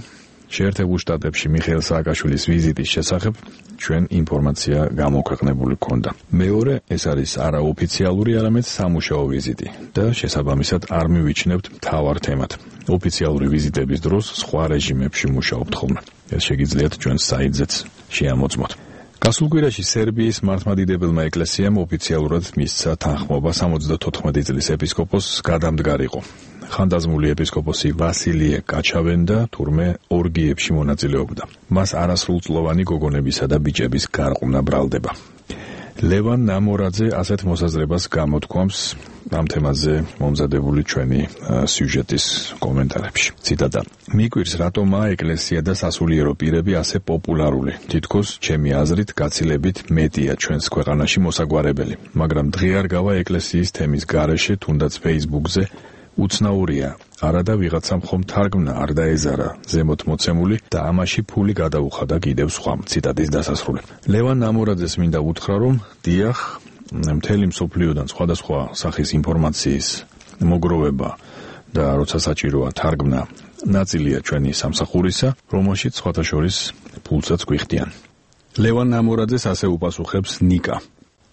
შეერთებულ შტატებში მიხეილ სააკაშვილის ვიზიტის შესახებ ჩვენ ინფორმაცია გამოქვეყნებული ქონდა. მეორე, ეს არის არაოფიციალური, არამედ სამუშაო ვიზიტი და შესაბამისად არ მივიჩნევთ მთავარ თემად. ოფიციალური ვიზიტების დროს სხვა რეჟიმებში მუშაობთ ხოლმე. ეს შეგიძლიათ ჩვენ საიტზეც შეამოწმოთ. გასულ კვირაში სერბიის მართლმადიდებელმა ეკლესიამ ოფიციალურად მისცა თანხმობა 74 წლის ეპისკოპოსს გადამდგარიყო. ხანდაზმული ეპისკოპოსი ვასილიე კაჩავენდა თურმე ორგიებში მონაწილეობდა. მას არასრულწლოვანი გოგონებისა და ბიჭების გარყვნა ბრალდება. ლევან ნამორაძე ასეთ მოსაზრებას გამოთქვამს ამ თემაზე მომზადებული ჩვენი სიუჟეტის კომენტარებში. ციტატა: მიკვირს რატომაა ეკლესია და სასულიერო პირები ასე პოპულარული. თითქოს ჩემი აზრით გაცილებით მეტია ჩვენს ქვეყანაში მოსაგვარებელი, მაგრამ დღე არ გავა ეკლესიის თემის გარეშე, თუნდაც Facebook-ზე უცნაურია, არადა ვიღაცამ ხომ თარგმნა არ დაეზარა ზემოთ მოცემული და ამაში ფული გადაუხადა კიდევ სხვამ. ციტატის დასასრული. ლევან ნამორაძეს მინდა უთხრა, რომ დიახ, მთელი მსოფლიოდან სხვადასხვა სახის ინფორმაციის მოგროვება და როცა საჭიროა თარგმნა ნაწილია ჩვენი სამსახურისა, რომელშიც სხვათა შორის ფულსაც გვიხდიან. ლევან ნამორაძეს ასე უპასუხებს ნიკა.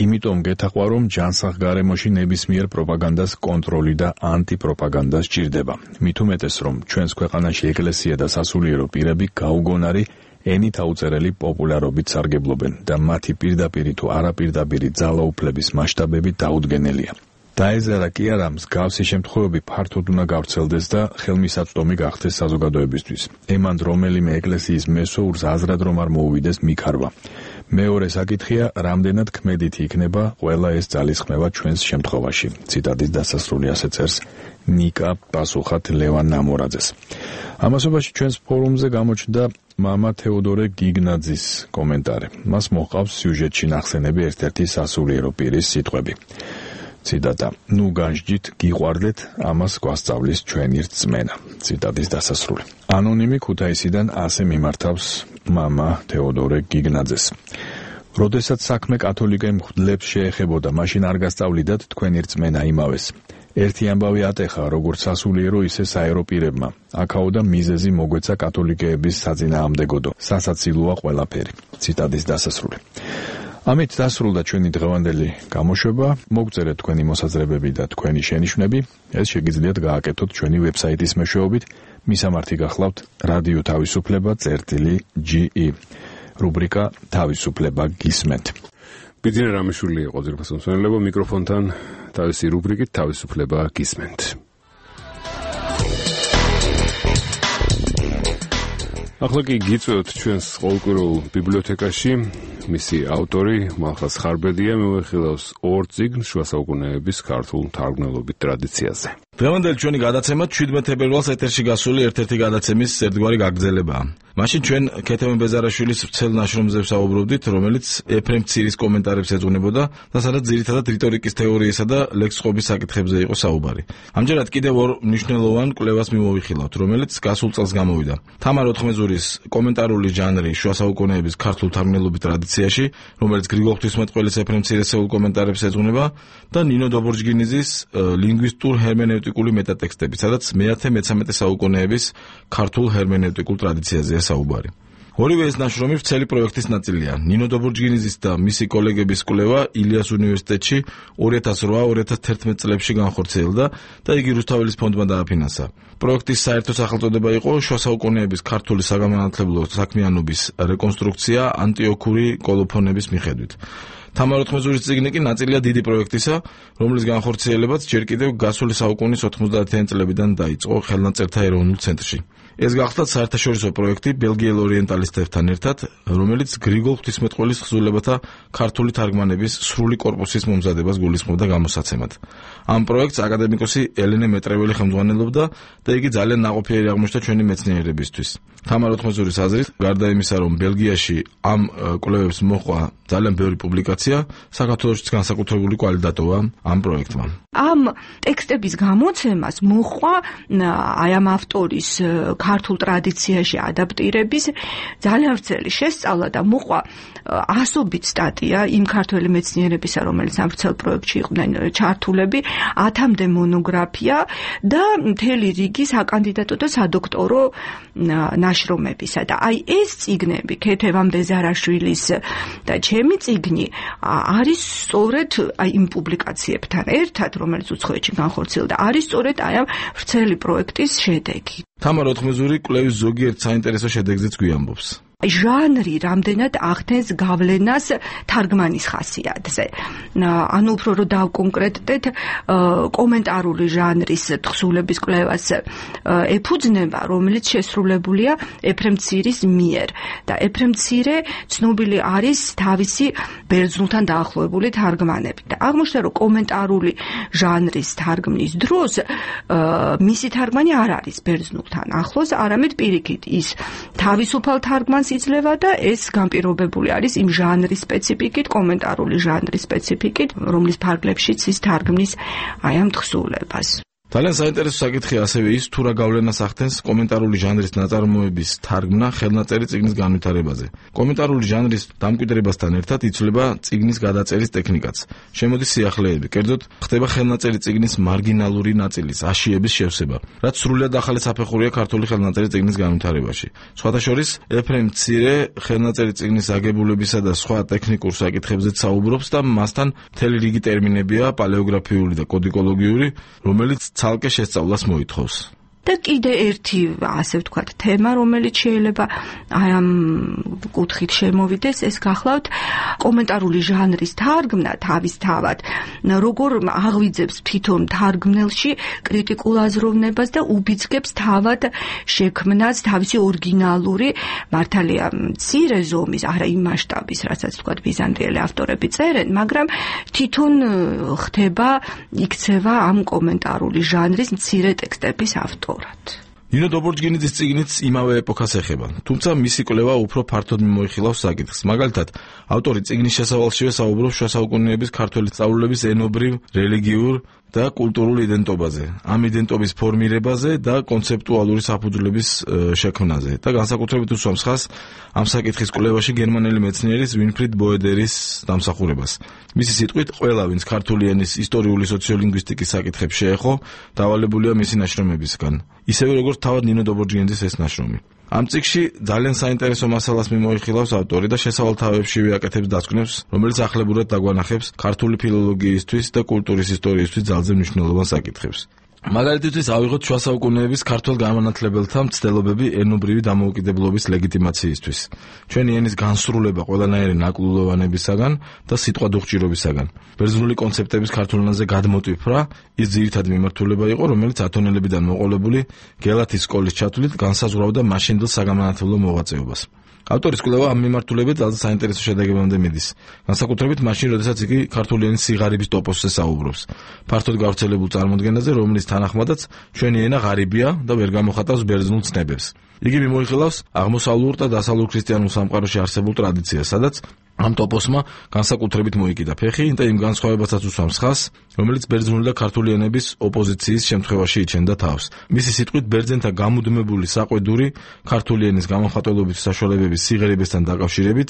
იმიტომ გეთახვა, რომ ჯანსაღ გარემოში ნებისმიერ პროპაგანდას კონტროლი და ანტიპროპაგანდა სჭირდება. მით უმეტეს, რომ ჩვენს ქვეყანაში ეკლესია და სასულიერო პირები გაუგონარი ენით აუწერელი პოპულარობით სარგებლობენ და მათი პირდაპირი თუ არაპირდაპირი ძალაუფლების მასშტაბები დაუდგენელია. დაეზარა კი არა, მსგავსი შემთხვევები ფართოდ უნდა გავრცელდეს და ხელმისაწვდომი გახდეს საზოგადოებისთვის. ემანდ რომელიმე ეკლესიის მესვეურს აზრად რომ არ მოუვიდეს მიქარვა. მეორე საკითხია, რამდენად ქმედითი იქნება ყველა ეს ძალისხმევა ჩვენს შემთხვევაში. ციტატის დასასრული ასე წერს ნიკა პასუხად ლევან ნამორაძეს. ამასობაში ჩვენს ფორუმზე გამოჩნდა მამა თეოდორე გიგნაძის კომენტარი. მას მოჰყავს სიუჟეტში ნახსენები ერთ-ერთი სასულიერო პირის სიტყვები. ციტატა: ნუ განსჯით, გიყვარდეთ, ამას გვასწავლის ჩვენი რწმენა. ციტატის დასასრული. ანონიმი ქუთაისიდან ასე მიმართავს მამა თეოდორე გიგნაძეს. როდესაც საქმე კათოლიკე მღვდლებს შეეხებოდა, მაშინ არ გასწავლიდათ თქვენი რწმენა იმავეს. ერთი ამბავი ატეხა როგორც სასულიერო, ისე საერო პირებმა. აქაოდა მიზეზი მოგვეცა კათოლიკეების საწინააღმდეგოდო. სასაცილოა ყველაფერი. ციტატის დასასრული. ამით დასრულდა ჩვენი დღევანდელი გამოშვება. მოგწერეთ თქვენი მოსაზრებები და თქვენი შენიშვნები. ეს შეგიძლიათ გააკეთოთ ჩვენი ვებსაიტის მეშვეობით. მისამართი გახლავთ რადიო თავისუფლება.ge რუბრიკა თავისუფლება გისმენთ. ბიძინა რამიშვილი იყო ძირფას მსმენელებო, მიკროფონთან თავისი რუბრიკით თავისუფლება გისმენთ. ახლა კი გიწევთ ჩვენს ყოველკვირეულ ბიბლიოთეკაში. მისი ავტორი მალხაზ ხარბედია მოვეხილავს 2 წიგნს შუა საუკუნეების ქართულ მთარგმნელობით ტრადიციაზე. დღევანდელი ჩვენი გადაცემა 17 თებერვალს ეთერში გასული ერთ-ერთი გადაცემის ერთგვარი გაგრძელებაა. მაშინ ჩვენ ქეთევან ბეზარაშვილის ვრცელ ნაშრომზე ვსაუბრობდით, რომელიც ეფრემ ცირის კომენტარებს ეძღვნებოდა და სადაც ძირითადად რიტორიკის თეორიისა და ლექსიკობის საკითხებზე იყო საუბარი. ამჯერად კიდევ ორ მნიშვნელოვან კვლევას მიმოვიხილავთ, რომელიც გასულ წელს გამოვიდა. თამარ ოთხმეძურის კომენტარული ჟანრი შუა საუკუნეების ქართულ მთარგმნელობით ტრადიციაში, რომელიც გრიგოლ ღვთისმეტყველის ეფრემ ცირესეულ კომენტარებს ეძღვნება და ნინო დობორჯგინიძის ლინგვისტურ ჰერმენევტიკული მეტატექსტები, სადაც მე-13 საუკუნეების ქართულ ჰერმენევტიკულ ტრადიციაზეა საუბარი. ორივე ეს ნაშრომი ვრცელი პროექტის ნაწილია. ნინო დობორჯგინიძის და მისი კოლეგების კვლევა ილიას უნივერსიტეტში 2008-2011 წლებში განხორციელდა და იგი რუსთაველის ფონდმა დააფინანსა. პროექტის საერთო სახელწოდება იყო შუა საუკუნეების ქართული საგანმანათლებლო საქმიანობის რეკონსტრუქცია ანტიოქური კოლოფონების მიხედვით. თამარ ოთხმეძურის წიგნი კი ნაწილია დიდი პროექტისა, რომლის განხორციელებაც ჯერ კიდევ გასული საუკუნის 90-იან წლებიდან დაიწყო ხელნაწერთა ეროვნულ ცენტრში. ეს გახლდათ საერთაშორისო პროექტი ბელგიელ ორიენტალისტებთან ერთად, რომელიც გრიგოლ ღვთისმეტყველის თხზულებათა ქართული თარგმანების სრული კორპუსის მომზადებას გულისხმობდა გამოსაცემად. ამ პროექტს აკადემიკოსი ელენე მეტრეველი ხელმძღვანელობდა და იგი ძალიან ნაყოფიერი აღმოჩნდა ჩვენი მეცნიერებისთვის. თამარ ოთხმეძურის აზრით, გარდა იმისა, რომ ბელგიაში ამ კვლევებს მოჰყვა ძალიან ბევრი პუბლიკაცია, საქართველოშიც განსაკუთრებული კვალი დატოვა ამ პროექტმა. ამ ტექსტების გამოცემას მოჰყვა აი ამ ავტორის ქართულ ტრადიციაში ადაპტირების ძალიან ვრცელი შესწავლა და მოჰყვა ასობით სტატია იმ ქართველი მეცნიერებისა, რომელიც ამ ვრცელ პროექტში იყვნენ ჩართულები, 1000-მდე მონოგრაფია და მთელი რიგი საკანდიდატო და სადოქტორო ნაშრომებისა. და აი ეს წიგნები, ქეთევან ბეზარაშვილის და ჩემი წიგნი არის სწორედ აი იმ პუბლიკაციებთან ერთად, რომელიც უცხოეთში განხორციელდა, არის სწორედ აი ამ ვრცელი პროექტის შედეგი. თამარ ოთხმეძური კვლევის ზოგიერთ საინტერესო შედეგზეც გვიამბობს. ჟანრი რამდენად ახდენს გავლენას თარგმანის ხასიათზე. ანუ უფრო რომ დავკონკრეტდეთ, კომენტარული ჟანრის თხზულების კვლევას ეფუძნება, რომელიც შესრულებულია ეფრემ ცირის მიერ. და ეფრემ ცირე ცნობილი არის თავისი ბერძნულთან დაახლოებული თარგმანებით. და აღმოჩნდა, რომ კომენტარული ჟანრის თარგმნის დროს მისი თარგმანი არ არის ბერძნულთან ახლოს, არამედ პირიქით ის თავისუფალ თარგმანს იძლევა და ეს განპირობებული არის იმ ჟანრის სპეციფიკით, კომენტარული ჟანრის სპეციფიკით, რომლის ფარგლებშიც ის თარგმნის აი ამ თხზულებას. ძალიან საინტერესო საკითხია ასევე ის, თუ რა გავლენას ახდენს კომენტარული ჟანრის ნაწარმოების თარგმნა ხელნაწერი წიგნის განვითარებაზე. კომენტარული ჟანრის დამკვიდრებასთან ერთად იცვლება წიგნის გადაწერის ტექნიკაც. შემოდის სიახლეები, კერძოდ ხდება ხელნაწერი წიგნის მარგინალური ნაწილის, აშიების შევსება, რაც სრულიად ახალი საფეხურია ქართული ხელნაწერი წიგნის განვითარებაში. სხვათა შორის, ეფრემ ცირე ხელნაწერი წიგნის აგებულებისა და სხვა ტექნიკურ საკითხებზეც საუბრობს და მასთან მთელი რიგი ტერმინებია პალეოგრაფიული და კოდიკოლოგიური, რომელიც ცალკე შესწავლას მოითხოვს. და კიდე ერთი, ასე ვთქვათ, თემა, რომელიც შეიძლება აი ამ კუთხით შემოვიდეს, ეს გახლავთ კომენტარული ჟანრის თარგმნა თავისთავად, როგორ აღვიძებს თვითონ თარგმნელში კრიტიკულ აზროვნებას და უბიძგებს თავად შექმნას თავისი ორიგინალური, მართალია მცირე ზომის, არა იმ მასშტაბის, რასაც ვთქვათ ბიზანტიელი ავტორები წერენ, მაგრამ თვითონ ხდება, იქცევა ამ კომენტარული ჟანრის მცირე ტექსტების ავტორი. ნინო დობორჯგინიძის წიგნიც იმავე ეპოქას ეხება, თუმცა მისი კვლევა უფრო ფართოდ მიმოიხილავს საკითხს. მაგალითად, ავტორი წიგნის შესავალშივე საუბრობს შუა საუკუნეების ქართველი სწავლულების ენობრივ, რელიგიურ და კულტურულ იდენტობაზე, ამ იდენტობის ფორმირებაზე და კონცეპტუალური საფუძვლების შექმნაზე და განსაკუთრებით უსვამს ხაზს ამ საკითხის კვლევაში გერმანელი მეცნიერის ვინფრიდ ბოედერის დამსახურებას. მისი სიტყვით, ყველა ვინც ქართული ენის ისტორიული სოციოლინგვისტიკის საკითხებს შეეხო, დავალებულია მისი ნაშრომებისგან, ისევე როგორც თავად ნინო დობორჯგინიძის ეს ნაშრომი. ამ წიგნში ძალიან საინტერესო მასალას მიმოიხილავს ავტორი და შესავალთავეებშივე აკეთებს დასკვნებს, რომელიც ახლებურად დაგვანახებს ქართული ფილოლოგიისთვის და კულტურის ისტორიისთვის ძალზე მნიშვნელოვან საკითხებს. მაგალითისთვის ავიღოთ შუა საუკუნეების ქართველ განმანათლებელთა მცდელობები ენობრივი დამოუკიდებლობის ლეგიტიმაციისთვის. ჩვენი ენის განსრულება ყველანაირი ნაკლულოვანებისაგან და სიტყვადუხჭირობისაგან. ბერძნული კონცეპტების ქართულ ენაზე გადმოტვიფრა ის ძირითადი მიმართულება იყო, რომელიც ათონელებიდან მოყოლებული გელათის სკოლის ჩათვლით განსაზღვრავდა მაშინდელ საგამანათლებლო მოღვაწეობას. ავტორის კვლევა ამ მიმართულებით ძალზე საინტერესო შედეგებამდე მიდის. განსაკუთრებით მაშინ, როდესაც იგი ქართული ენის სიღარიბის ტოპოსზე საუბრობს. ფართოდ გავრცელებულ წარმოდგენაზე, რომლის თანახმადაც ჩვენი ენა ღარიბია და ვერ გამოხატავს ბერძნულ ცნებებს. იგი მიმოიხილავს აღმოსავლურ და დასავლურ ქრისტიანულ სამყაროში არსებულ ტრადიციას, სადაც ამ ტოპოსმა განსაკუთრებით მოიკიდა ფეხი და იმ განსხვავებასაც უსვამს ხაზს, რომელიც ბერძნული და ქართული ენების ოპოზიციის შემთხვევაში იჩენდა თავს. მისი სიტყვით, ბერძენთა გამუდმებული საყვედური ქართული ენის გამოხატულობის საშუალებების სიღრიბესთან დაკავშირებით,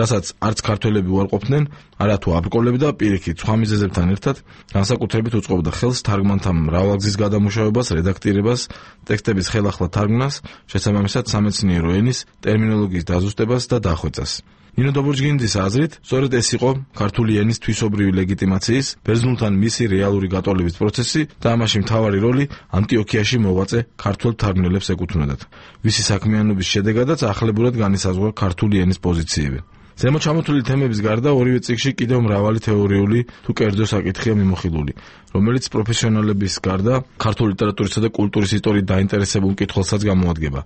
რასაც არც ქართველები უარყოფდნენ, არათუ აბრკოლები და პირიქით სხვა მიზეზებთან ერთად, განსაკუთრებით უწყობდა ხელს თარგმანთა მრავალგზის გადამუშავებას, რედაქტირებას, ტექსტების ხელახლა თარგმნას, შესაბამისად სამეცნიერო ენის ტერმინოლოგიის დაზუსტებას და დახვეწას. ნინო დობორჯგინიძის აზრით, სწორედ ეს იყო ქართული ენის თვისობრივი ლეგიტიმაციის, ბერძნულთან მისი რეალური გატოლების პროცესი და ამაში მთავარი როლი ანტიოქიაში მოღვაწე ქართველ თარგმნელებს ეკუთვნოდათ. ვისი საქმიანობის შედეგადაც ახლებურად განისაზღვრა ქართული ენის პოზიციები. ზემოთ ჩამოთვლილი თემების გარდა ორივე წიგნში კიდევ მრავალი თეორიული თუ კერძო საკითხია მიმოხილული, რომელიც პროფესიონალების გარდა ქართული ლიტერატურისა და კულტურის ისტორიით დაინტერესებულ მკითხველსაც გამოადგება.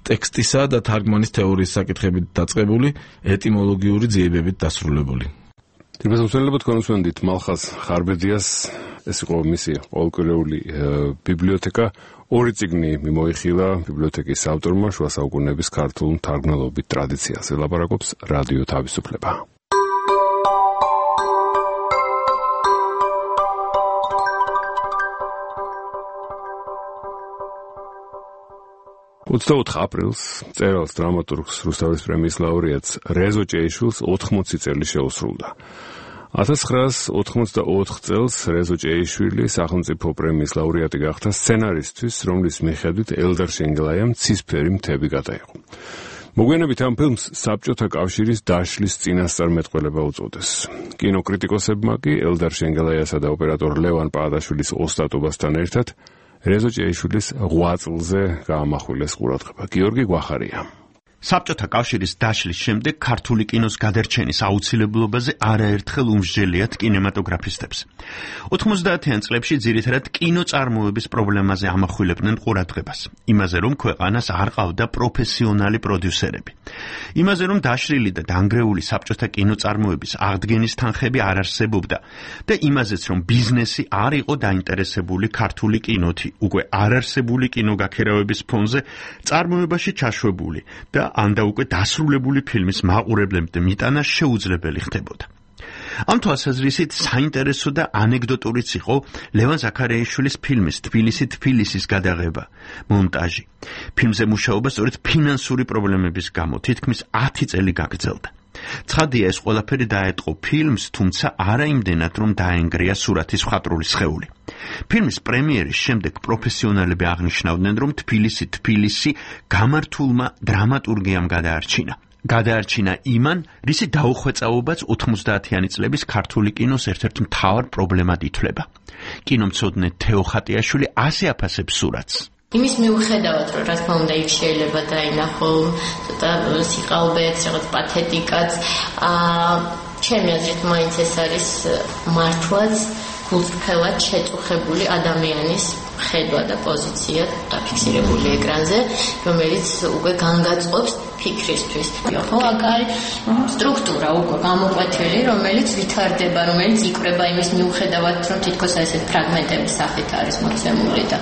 ტექსტისა და თარგმანის თეორიის საკითხებით დაწყებული, ეტიმოლოგიური ძიებებით დასრულებული. თვითმსახურებად კონსულტანტ მალხაზ ხარბედიას ეს იყო მისი ყოველკვირეული ბიბლიოთეკა. ორი წიგნი მიმოიხილა ბიბლიოთეკის ავტორმა შუა საუკუნეების ქართულ მთარგმნელობით ტრადიციაზე ლაპარაკობს რადიო თავისუფლება. აპრილს წერალს დრამატურგს რუსთავის პრემიის ლაურეატს რეზო ჭეიშვილს 80 წელი შეუსრულდა. 1984 წელს რეზო ჭეიშვილი სახელმწიფო პრემიის ლაურეატი გახდა სცენარისტვის, რომლის მიხედვით ელდარ შენგელაიამ ცისფერი მთები გადაიღო. მოგვიანებით ამ ფილმს საბჭოთა კავშირის დაშლის წინასწარმეტყველება უწოდეს. კინოკრიტიკოსებმა კი ელდარ შენგელაიასა და ოპერატორ ლევან პაადაშვილის ოსტატობასთან ერთად რეზო ჭეიშვილის 8 წლზე გაამახვილეს ყურადღება. გიორგი გვახარია. საბჭოთა კავშირის დაშლის შემდეგ ქართული კინოს გადარჩენის აუცილებლობაზე არაერთხელ უმსჯელიათ კინემატოგრაფისტებს. 90-იან წლებში ძირითადად კინოწარმოების პრობლემაზე ამახვილებდნენ ყურადღებას. იმაზე, რომ ქვეყანას არ ყავდა პროფესიონალი პროდიუსერები. იმაზე, რომ დაშლილი და დანგრეული საბჭოთა კინოწარმოების აღდგენის თანხები არ არსებობდა და იმაზეც, რომ ბიზნესი არ იყო დაინტერესებული ქართული კინოთი, უკვე არარსებული კინოგაქერავების ფონზე წარმოებაში ჩაშვებული და ანდა უკვე დასრულებული ფილმის მაყურებლებამდე მიტანა შეუძლებელი ხდებოდა. ამ თვალსაზრისით საინტერესო და ანეკდოტურიც იყო ლევან ზაქარიაშვილის ფილმის თბილისის გადაღება, მონტაჟი. ფილმზე მუშაობა სწორედ ფინანსური პრობლემების გამო თითქმის 10 წელი გაგრძელდა. ცხადია, ეს ყველაფერი დაეტყო ფილმს, თუმცა არა იმდენად, რომ დაენგრია სურათის მხატვრული სხეული. ფილმის პრემიერის შემდეგ პროფესიონალები აღნიშნავდნენ, რომ თბილისი გამართულმა დრამატურგიამ გადაარჩინა იმან, რისი დაუხვეწაობაც 90-იანი წლების ქართული კინოს ერთ-ერთ მთავარ პრობლემად ითვლება. კინომცოდნე თეო ხატიაშვილი ასე აფასებს სურათს. იმის მიუხედავად, რომ რა თქმა უნდა იქ შეიძლება დაინახო ცოტა სიყალბეც, რაღაც პათეტიკაც, ჩემი აზრით მაინც ეს არის მართლაც გულწრფელად შეწუხებული ადამიანის ხედვა და პოზიცია დაფიქსირებული ეკრანზე, რომელიც უკვე განგაწყობს ფიქრისთვის. ხო, აქ არის სტრუქტურა უკვე გამოკვეთილი, რომელიც ვითარდება, რომელიც იკვრება იმის მიუხედავად, რომ თითქოს ესეთ ფრაგმენტების სახით არის მოცემული და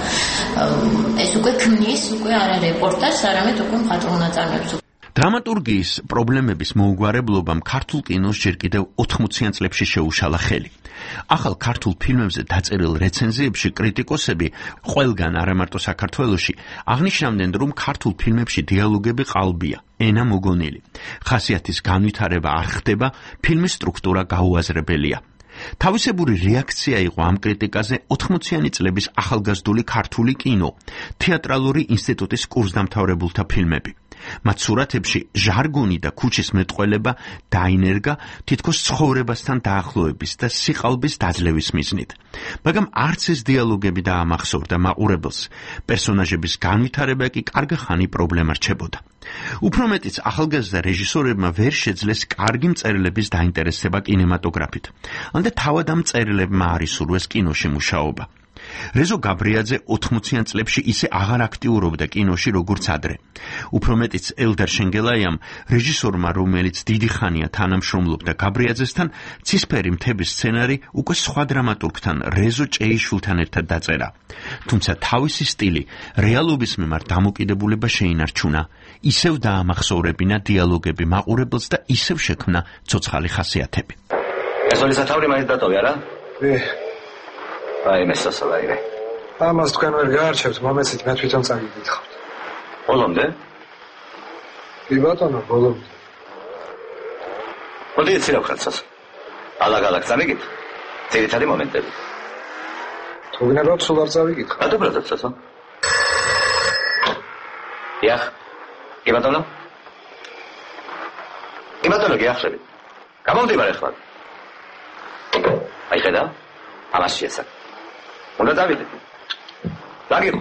ეს უკვე ქმნის უკვე არა რეპორტაჟს, არამედ უკვე მხატვრულ ნაწარმოებს. დრამატურგიის პრობლემების მოუგვარებლობამ ქართულ კინოს ჯერ კიდევ 80-იან წლებში შეუშალა ხელი. ახალ ქართულ ფილმებზე დაწერილ რეცენზიებში კრიტიკოსები ყველგან არა მარტო საქართველოში აღნიშნავდნენ, რომ ქართულ ფილმებში დიალოგები ყალბია, ენა მოგონილი. ხასიათის განვითარება არ ხდება, ფილმის სტრუქტურა გაუაზრებელია. თავისებური რეაქცია იყო ამ კრიტიკაზე 80-იანი წლების ახალგაზრდული ქართული კინო, თეატრალური ინსტიტუტის კურსდამთავრებულთა ფილმები. მათ სურათებში ჟარგონი და ქუჩის მეტყველება დაინერგა თითქოს ცხოვრებასთან დაახლოების და სიყალბის დაძლევის მიზნით. მაგრამ არც ეს დიალოგები დაამახსოვრდა მაყურებელს, პერსონაჟების განვითარება კი კარგი ხანი პრობლემა რჩებოდა. უფრო მეტიც ახალგაზრდა რეჟისორებმა ვერ შეძლეს კარგი მწერლების დაინტერესება კინემატოგრაფით. ანდა თავად ამ მწერლებმა არ ისურვეს კინოში მუშაობა. რეზო გაბრიაძე 80-იან წლებში ისე აღარ აქტიურობდა კინოში როგორც ადრე. უფრო მეტიც ელდარ შენგელაიამ, რეჟისორმა, რომელიც დიდი ხანია თანამშრომლობდა გაბრიაძესთან, ცისფერი მთების სცენარი უკვე სხვა დრამატურგთან რეზო ჭეიშვილთან ერთად დაწერა. თუმცა თავისი სტილი რეალობის მიმართ დამოკიდებულება შეინარჩუნა, ისევ დაამახსოვრებინა დიალოგები მაყურებელს და ისევ შექმნა ცოცხალი ხასიათები. ეს ორი სათაური მაინც დატოვე, არა? აი მესასალაირე. ამას თქვენ ვერ გაარჩევთ, მომეცით მე თვითონ წაგიგითხავთ. ბოლომდე? კი ბატონო, ბოლომდე. მოდი ეცილავ ხალხს. ალაგ-ალაგ წამიგით. ძირითადი მომენტები. თუ გნებავთ, სულ არ წავიგითხავ. ადობრადაც ასო. იახ. კი ბატონო? კი ბატონო, გიახშები. გამომდივარ ახლა. აი ხედა? ამას შეესაბ. უნდა დავიდეთ. დაგიხო.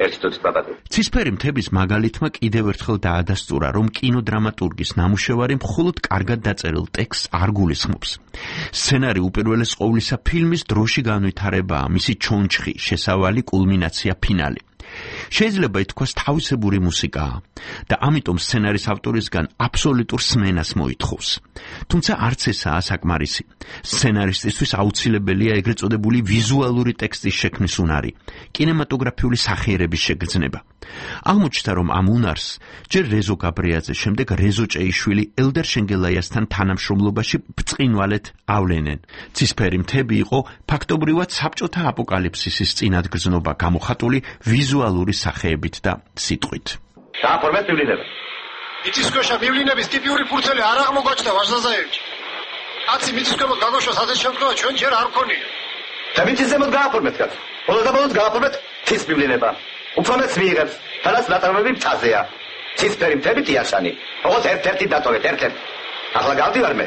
ერთი თუთი პაპატი. ცისფერი მთების მაგალითმა კიდევ ერთხელ დაადასტურა, რომ კინოდრამატურგის ნამუშევარი მხოლოდ კარგად დაწერილ ტექსტს არ გულისხმობს. სცენარი უპირველეს ყოვლისა ფილმის დროში განვითარებაა, მისი ჩონჩხი, შესავალი, კულმინაცია, ფინალი. შეიძლება ითქვას თავისებური მუსიკაა და ამიტომ სცენარის ავტორისგან აბსოლუტურ სმენას მოითხოვს. თუმცა არც ესაა საკმარისი. სცენარისტისთვის აუცილებელია ეგრეთ წოდებული ვიზუალური ტექსტის შექმნის უნარი, კინემატოგრაფიული სახიერების შეგრძნება. აღმოჩნდა, რომ ამ უნარს ჯერ რეზო გაბრიაძე, შემდეგ რეზო ჭეიშვილი ელდარ შენგელაიასთან თანამშრომლობაში ბრწყინვალედ ავლენენ. ცისფერი მთები იყო ფაქტობრივად საბჭოთა აპოკალიფსისის წინადგრძნობა გამოხატული ვიზუალური სახეებით და სიტყვით. დააფორმეთ ბიბლინება. მიწისქვეშა ბიბლინების ტიპიური ფურცელი არ აღმოგვაჩნდა ვაჟზაზაევიჩი. კაცი მიწისქვემოთ გაგოშვას ასეთ შემთხვევა ჩვენ ჯერ არ გქონია. და მიწის ზემოთ გააფორმეთ კაც. ბოლოს გააფორმეთ თის ბიბლინება. უფრონეც მიიღებს, თანაც ნატარები მწაზეა. ცისფერი მთები ტიაშანი. ოღონდ ერთ-ერთი დატოვეთ, ერთ-ერთი. ახლა გავდივარ მე.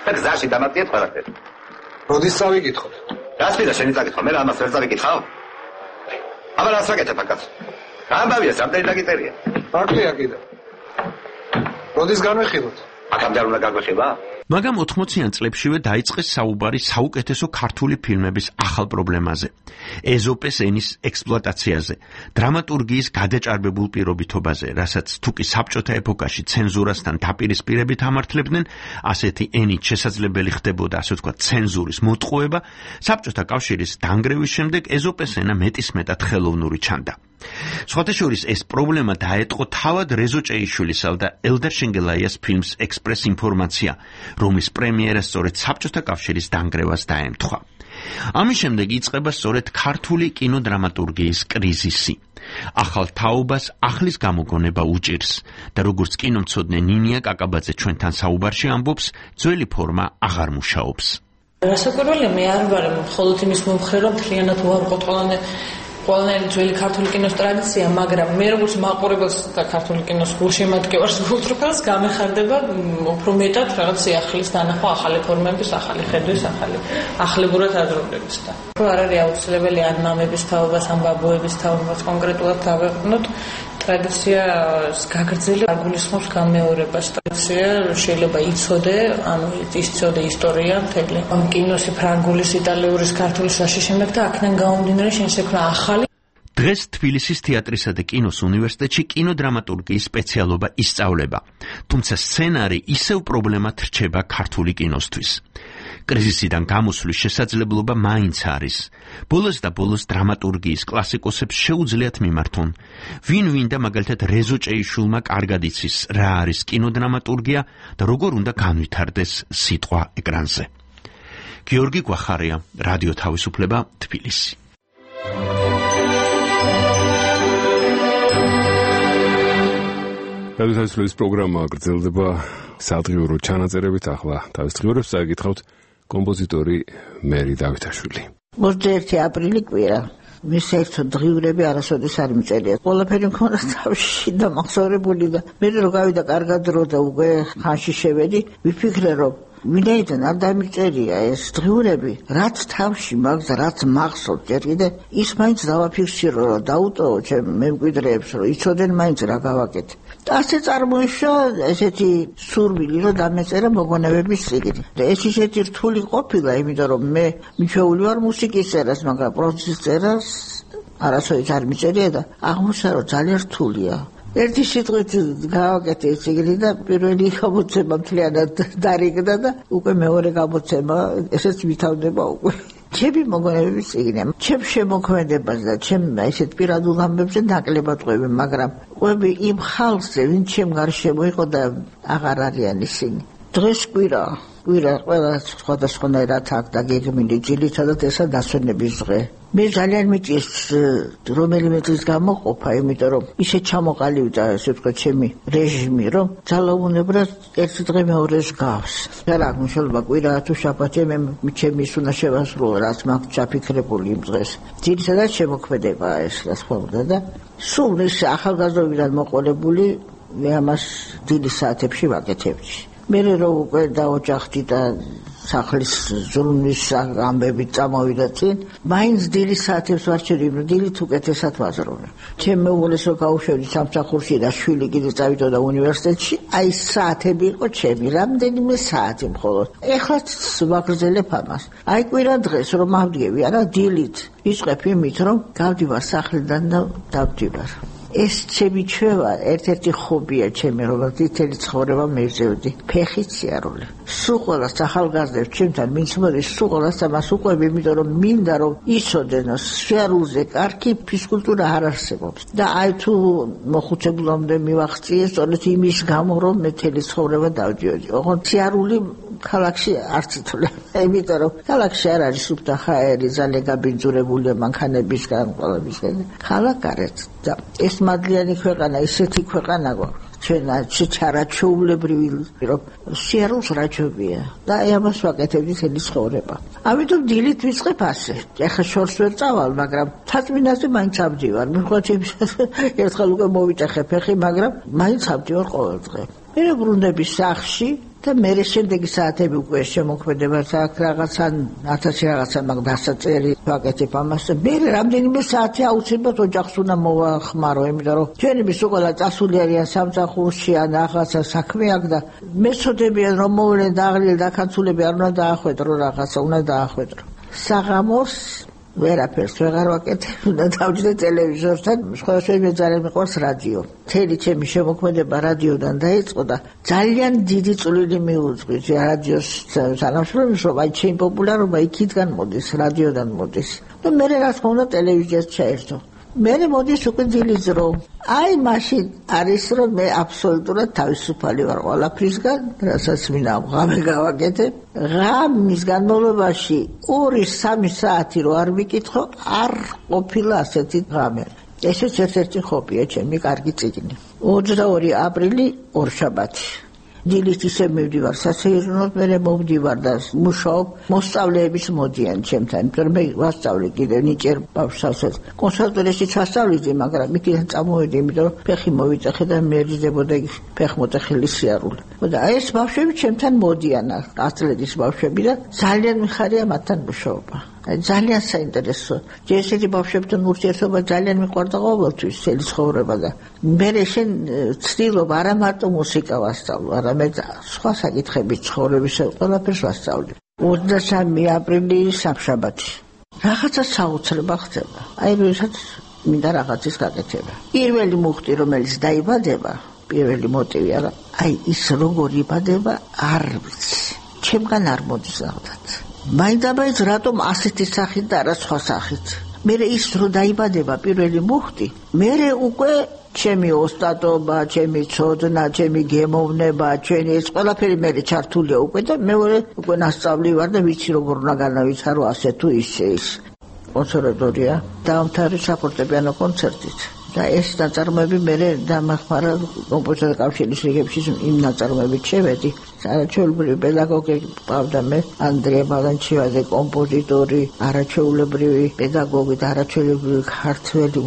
და გზაში დამატიეთ ყველაფერი. როდის წავიკითხოთ? რას მინდა შენი წაკითხო? მე ამას ვერ წავიკითხავ. აბა რას ვაკეთებ აკაც? ამბავია რამდენი დაგიწერია. აკლია კიდე. როდის განვიხილოთ? აქამდე არ უნდა გაგვეხილა? მაგრამ 80-იან წლებშივე დაიწყეს საუბარი საუკეთესო ქართული ფილმების ახალ პრობლემაზე, ეზოპეს ენის ექსპლუატაციაზე, დრამატურგიის გადაჭარბებულ პირობითობაზე, რასაც თუკი საბჭოთა ეპოქაში ცენზურასთან დაპირისპირებით ამართლებდნენ, ასეთი ენით შესაძლებელი ხდებოდა, ასე ვთქვათ, ცენზურის მოტყუება, საბჭოთა კავშირის დანგრევის შემდეგ ეზოპეს ენა მეტისმეტად ხელოვნური ჩანდა. სხვათა შორის ეს პრობლემა დაეტყო თავად რეზო ჭეიშვილისა და ელდარ შენგელაიას ფილმს ექსპრეს ინფორმაცია, რომლის პრემიერა სწორედ საბჭოთა კავშირის დანგრევას დაემთხვა. ამის შემდეგ იწყება სწორედ ქართული კინოდრამატურგიის კრიზისი. ახალ თაობას ახლის გამოგონება უჭირს და როგორც კინომცოდნე ნინია კაკაბაძე ჩვენთან საუბარში ამბობს, ძველი ფორმა აღარ მუშაობს. რასაკვირველია, მე არ ვარ მხოლოდ იმის მომხრე, რომ მთლიანად უარყოთ ყველანაირი ძველი ქართული კინოს ტრადიცია, მაგრამ მე როგორც მაყურებელს და ქართული კინოს გულშემატკივარს გულთრუქელს გამეხარდება უფრო მეტად რაღაც ახლის დანახვა, ახალი ფორმების, ახალი ხედვის, ახლებურად აზროვნების და არ არის აუცილებელი ან მამების თაობას, ან ბაბუების თაობას კონკრეტულად დავეყნოთ. ტრადიციას გაგრძელი არ გულისხმობს გამეორებას. ტრადიცია შეიძლება იცოდე, ანუ იცოდე ისტორია მთელი. ამ კინოსი ფრანგულის, იტალიური, ქართულისაშიშემებ და აქედან გამომდინარე შეექმნა ახალი. დღეს თბილისის თეატრისა და კინოს უნივერსიტეტში კინოდრამატურგიის სპეციალობა ისწავლება, თუმცა სცენარი ისევ პრობლემად რჩება ქართული კინოსთვის. კრიზისიდან გამოსვლის შესაძლებლობა მაინც არის. ბოლოს და ბოლოს დრამატურგიის კლასიკოსებს შეუძლიათ მიმართონ. ვინ და მაგალითად რეზო ჭეიშვილმა კარგად იცის, რა არის კინოდრამატურგია და როგორ უნდა განვითარდეს სიტყვა ეკრანზე. გიორგი გვახარია, რადიო თავისუფლება, თბილისი. რადიო თავისუფლების პროგრამა გრძელდება სადღიურო ჩანაწერებით. ახლა თავის დღიურებს წაიკითხავთ კომპოზიტორი მერი დავითაშვილი. 21 აპრილი კვირა. მის ერთად დღიურები არასოდეს არ მიწერია. ყველაფერი მქონდა თავში და მახსოვრებული და მე რო გავიდა კარგად დრო და უკვე ხანში შევედი, ვიფიქრე რომ ვინაიდან არ დამიწერია ეს დღიურები, რაც თავში მაქვს, რაც მახსოვს ჯერ კიდე, ის მაინც დავაფიქსირო რომ დაუტოვო ჩემ მემკვიდრეებს, რომ იცოდნენ მაინც რა გავაკეთე. და ასე წარმოიშვა ესეთი სურვილი, რომ დამეწერა მოგონებების წიგნი. და ეს ისეთი რთული ყოფილა, იმიტომ რომ მე მიჩვეული ვარ მუსიკის წერას, მაგრამ პროზის წერას არასოდეს არ მიწერია და აღმოჩნდა რომ ძალიან რთულია. ერთი სიტყვით გავაკეთე ეს წიგნი და პირველი გამოცემა მთლიანად დარიგდა და უკვე მეორე გამოცემა ესეც ვითარდება უკვე. ჩემი მოგონებების წიგნია. ჩემ შემოქმედებას და ჩემ ესეთ პირადულ ამბებზე ნაკლებად ყვები, მაგრამ ყვები იმ ხალხზე, ვინც ჩემ გარშემო იყო და აღარ არიან ისინი. დღეს კვირა ყველა სხვადასხვანაირად აქ დაგეგმილი, ძირითადად ესა დასვენების დღე. მე ძალიან მიჭირს რომელიმე დღის გამოყოფა, იმიტომ რომ ისე ჩამოყალიბდა, ესე ვთქვათ, ჩემი რეჟიმი, რომ ძალაუნებრად ერთი დღე მეორეს გავს. რა მნიშვნელობა კვირაა თუ შაბათია, მე ჩემი ის უნდა შევასრულო, რაც მაქვს ჩაფიქრებული იმ დღეს. ძირითადად შემოქმედებაა ეს, რა თქმა უნდა და სულ ის ახალგაზრდობიდან მოყოლებული მე ამას დილის საათებში ვაკეთებდი. მე რომ უკვე დაოჯახდი და სახლის ზრუნვის ამბებით წამოვიდა წინ, მაინც დილის საათებს ვარჩევდი, დილით უკეთესად ვაზრობ. ჩემ მეუღლეს რო გავუშვებდი სამსახურში და შვილი კიდე წავიდოდა უნივერსიტეტში, აი საათები იყო ჩემი, რამდენიმე საათი მხოლოდ. ეხლაც ვაგრძელებ ამას. აი კვირა დღეს რომ ავდგები, არა დილით ვიწყებ იმით, რომ გავდივარ სახლიდან და დავდივარ. ეს ჩემი ჩვევა ერთ-ერთი ხობია ჩემი, რომელთაც მთელი ცხოვრება მივზევდი. ფეხით სიარული. სულ ყველას ახალგაზრდებს ჩემთან ვინც მოდის, სულ ყველას ამას უყვები, იმიტომ რომ მინდა რომ იცოდენ, სიარულზე კარგი ფიზკულტურა არ არსებობს. და აი თუ მოხუცებულამდე მივახციე, სწორედ იმის გამო რომ მე მთელი ცხოვრება დავდიოდი. ოღონდ სიარული ქალაქში არც ითვლება. იმიტომ რომ ქალაქში არ არის სუფთა ჰაერი, ძალიან გაბინძურებულია მანქანებისგან, ყველებისგან. ქალაქ გარეთ და ეს მადლიანი ქვეყანა, ისეთი ქვეყანა გვაქვს. ჩვენ ჩარაჩოულებრივი რომ სიარულს რაჯობია და აი ამას ვაკეთებდი მთელი ცხოვრება. ამიტომ დილით ვიწყებ ასე. ეხლა შორს ვერ წავალ, მაგრამ თაწმინდაზე მაინც ავდივარ. მიხოთ ერთხელ უკვე მოვიტეხე ფეხი, მაგრამ მაინც ავდივარ ყოველ დღე. მე ბრუნდები სახლში და მე შემდეგი საათები უკვე შემოქმედებაც აქვს რაღაცა 1000 რაღაცა მაგ დასაწერი ვაკეთებ ამას. მე რამდენიმე საათი აუცილებლად ოჯახს უნდა მოვახმარო, იმიტომ რომ ჩვენები სულ ყველა წასული არიან სამსახურში ან რაღაცა საქმე აქვს და მეცოდებიან რომ მოვლენ და აღლიელ დაქანცულები არ უნდა დაახვედრო რაღაცა, უნდა დაახვედრო. საღამოს ვერაფერს ვეღარ ვაკეთებ, უნდა დავჯდე ტელევიზორთან, სხვადასხვა მე ძალიან მიყვარს რადიო. მთელი ჩემი შემოქმედება რადიოდან დაიწყო და ძალიან დიდი წვლილი მიუძღვის რადიოს თანამშრომლობის, რომ აი ჩემი პოპულარობა იქიდან მოდის, რადიოდან მოდის. და მე რა თქმა უნდა ტელევიზიას ჩაერთო. მე მოდის უკვე დილის დრო. აი მაშინ არის რომ მე აბსოლუტურად თავისუფალი ვარ ყველაფრისგან, რასაც მინდა ღამე გავაკეთებ. ღამის განმავლობაში 2-3 საათი რო არ ვიკითხო, არ ყოფილა ასეთი ღამე. ესეც ერთ-ერთი ხობია ჩემი კარგი წიგნი. 22 აპრილი ორშაბათი. დილით ისე მივდივარ სასეირნოდ, მე მოვდივარ და მუშაობ. მოსწავლეების მოდიან ჩემთან, იმიტომ რომ მე ვასწავლე კიდე ნიჭიერ ბავშვსაც. კონსერვატორიაში ვასწავლე, მაგრამ იქიდან წამოვედი, იმიტომ რომ ფეხი მოვიტეხე და მერიდებოდა ფეხმოტეხილი სიარული. და აი ეს ბავშვები ჩემთან მოდიან, ათლეტის ბავშვები და ძალიან მიხარია მათთან მუშაობა. ძალიან საინტერესო. ესეთი ბავშვებთან ურთიერთობა ძალიან მიყვარდა ყოველთვის მთელი ცხოვრება და მე შენ ცდილობ არა მარტო მუსიკა ვასწავლო, არამედ სხვა საკითხები ცხოვრების ყველაფერს ვასწავლე. 23 აპრილი სამშაბათი. რაღაცა საოცრება ხდება. აი როდესაც მინდა რაღაცის გაკეთება. პირველი მუხტი რომელიც დაიბადება, პირველი მოტივი არა, აი ის როგორ იბადება არ ვიცი. ჩემგან არ მოდის რაღაცა. მაინდაბაიც რატომ ასეთი სახით და არა სხვა სახით. მე ის რო დაიბადება პირველი მუხტი, მე უკვე ჩემი ოსტატობა, ჩემი ცოდნა, ჩემი გემოვნება, ჩვენი ეს ყველაფერი მე ჩართულია უკვე და მე უკვე ნასწავლი ვარ და ვიცი როგორ უნდა განავითარო ასე თუ ისე ის. კონსერვატორია დაამთავრე საფორტეპიანო კონცერტით. და ეს ნაწარმოები მე დამახმარა კომპოზიტორთა კავშირის რიგებში იმ ნაწარმოებით შევედი. არაჩვეულებრივი პედაგოგი ყავდა მე, ანდრია ბალანჩივაძე, კომპოზიტორი, არაჩვეულებრივი პედაგოგი და არაჩვეულებრივი ქართველი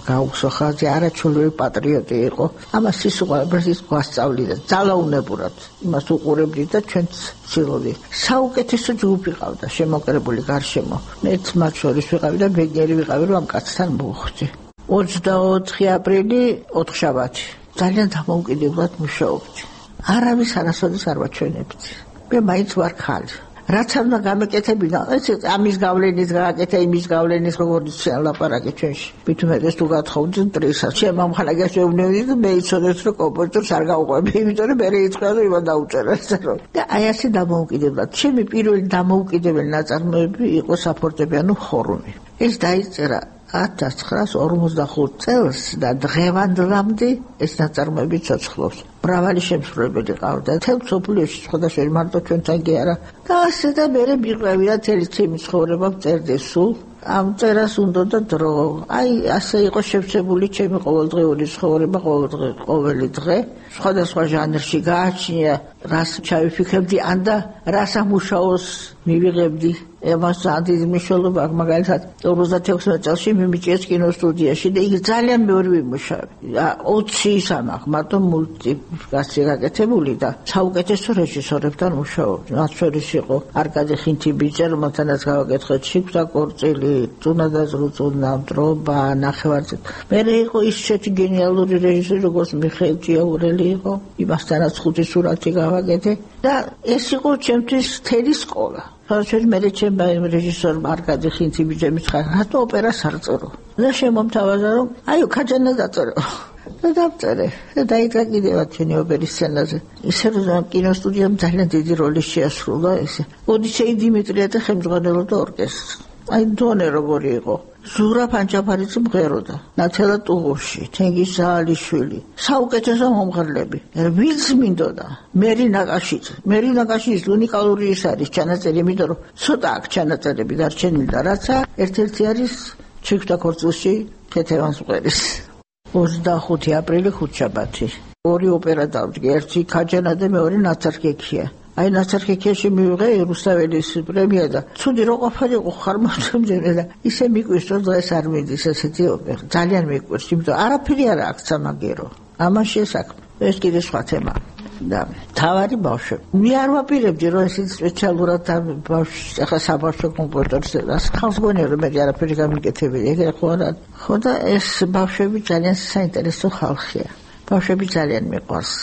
გაუსახაძე, არაჩვეულებრივი პატრიოტი იყო. ამას ის უყურებდი გვასწავლიდა ძალაუნებურად. იმას უყურებდი და ჩვენც ვცდილობდი. საუკეთესო ჯგუფი ყავდა, შემოკრებული გარშემო. მეც მათ შორის ვიყავი და ბეგნერი ვიყავი, რომ ამ კაცთან მოვხვდი. 24 აპრილი ოთხშაბათი. ძალიან დამოუკიდებლად მუშაობდი. არავის არასოდეს არ ვაჩვენებდი. მე მაინც ვარ ხალი. რაც არ უნდა გამეკეთებინა, ეს ამის გავლენის გააკეთა, იმის გავლენის როგორც ლაპარაკი ჩვენში. მithumetes თუ გათხოვდნენ ტრისაც. შემამხანაგას ეუბნებოდი და მე იცოდეთ რომ კომპოზიტორს არ გავყვები, იმიტომ რომ მე იწყვია და იმან დაუწერა. და აი ასე დამოუკიდებლად. ჩემი პირველი დამოუკიდებელი ნაწარმოები იყო საფორტეპიანო ხორუმი. ეს დაიწერა 1945 წელს და დღევანდლამდე ეს ნაწარმოები ცოცხლობს. მრავალი შემსრულებელი ყავდა. თელ მსოფლიოში სხვადასხვა მარტო ჩვენთან კი არა. და ასე და მე მიყვევი და თელი ჩემი ცხოვრება წერდი სულ. ამ წერას უნდა და დრო. აი ასე იყო შევსებული ჩემი ყოველდღიური ცხოვრება, ყოველი დღე. სხვადასხვა ჟანრში გააჩნია, რას ჩავიფიქრებდი, ან და რას ამუშაოს მივიღებდი ემას ძალიან მნიშვნელობა აქვს მაგალითად 56 წელს მიმიჭეს კინოსტუდიაში და იქ ძალიან მეორე ვიმუშავე 20 ის ამახ მარტო მულტიპლიკაცია გაკეთებული და საუკეთესო რეჟისორებთან მუშაობდი მათ შორის იყო არკადე ხინთიბიძე რომელთანაც გავაკეთეთ შიკვთა კორწილი წუნა ზრუწუნა დრობა ნახევარზე მე იყო ის შეეთი გენიალური რეჟისორი როგორც მიხეილ ჭიაურელი იყო იმასთანაც 5 სურათი გავაკეთე და ეს იყო ჩემთვის თელი სკოლა ხალხი მე ჩემმა რეჟისორ არკადე ხინთიბიძემ ცხა რატო ოპერას არ წერო და შემომთავაზა რომ აიო ქაჯანა დაწერო და დავწერე და დაიდგა კიდევაც ჩვენი ოპერის სცენაზე ისე რომ კინოსტუდიამ ძალიან დიდი როლი შეასრულა ესე ოდისეი დიმიტრია და ხელმძღვანელობდა ორკესტრს აი დონე როგორი იყო ზურა პანჯაფარიძე მღეროდა ნათელა ტუღუში თენგიზ ზაალიშვილი საუკეთესო მომღერლები ვინც მინდოდა მერინა კაშიძის უნიკალური ის არის ჩანაწერი იმიტომ რომ ცოტა აქ ჩანაწერები დარჩენილი და რაცა ერთ-ერთი არის შიკვთა კორწილში ქეთევანს მღერის 25 აპრილი ხუთშაბათი ორი ოპერა დავდგე ერთი ქაჯანა და მეორე ნაცარქექია აი ნაცარქექიაში მივიღე რუსთაველის პრემია და ცუდი რო ყოფილიყო ხარმოთმდე და ისე მიკვირს რომ დღეს არ მიდის ესეთი ოპერა ძალიან მიკვირს იმიტომ არაფერი არ აქვს სამაგერო ამაში საქმე ეს კიდე სხვა თემა და თავარი ბავშვები მე არ ვაპირებდი რომ ეს სპეციალურად ბავშვს ახლა საბავშვო კომპიუტერზე ხალხს გონია რომ მე არაფერი გამიკეთებია ეგრე ხო და ეს ბავშვები ძალიან საინტერესო ხალხია ბავშვები ძალიან მიყვარს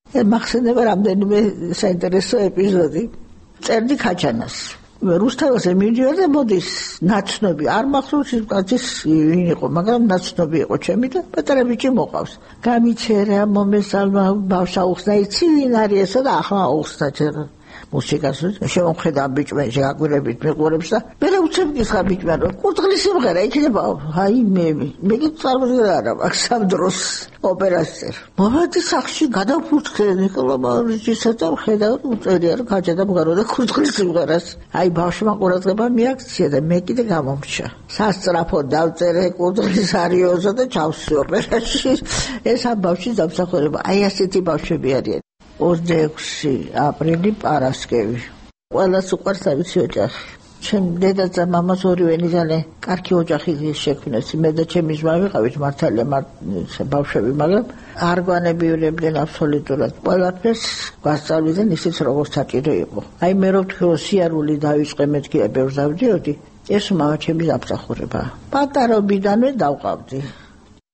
მახსენდება რამდენიმე საინტერესო ეპიზოდი წერდი ქაჯანას რუსთაველზე მივდივარ და მოდის ნაცნობი არ მახსოვს ის კაცის ვინ იყო მაგრამ ნაცნობი იყო ჩემი და პატარა ბიჭი მოყავს გამიჩერა მომესალმა ბავშვა უხსნა იცი ვინ არის ესა და ახლა უხსნა ჯერ მუსიკას შემოხედა ბიჭმა შეაგვირებით მიყურებს და მე უცებ გიხარ ბიჭმა რომ კურდღლის სიმღერა იქნება აი მე წარმოდგენა არა აქვს ამ დროს ოპერას წერ მომადი სახში გადავფურთხე ნიკოლა რეჟისორს და ხედავ უწერია რომ გაჯდა მღეროდა კურდღლის სიმღერას აი ბავშვმა ყურადღება მიაქცია და მე კიდე გამომრჩა სასწრაფო დავწერე კურდღლის არიოზა და ჩავსვი ოპერაში ეს ამ ბავშვის დამსახურება აი ასეთი ბავშვები არიან 26 აპრილი პარასკევი ყველას უყვარს თავისი ოჯახი ჩემ დედაც და მამას ორივენი ძალიან კარგი ოჯახი შექმნეს მე და ჩემი ძმა ვიყავით მართალია ბავშვები მაგრამ არ გვანებიურებდნენ აბსოლუტურად ყველაფერს გვასწავლდნენ ისიც როგორც საჭირო იყო აი მე რო ვთქვი რომ სიარული დავიწყე მეთქი ბევრს დავდიოდი ეს მამა ჩემი დამსახურება პატარობიდანვე დავყავდი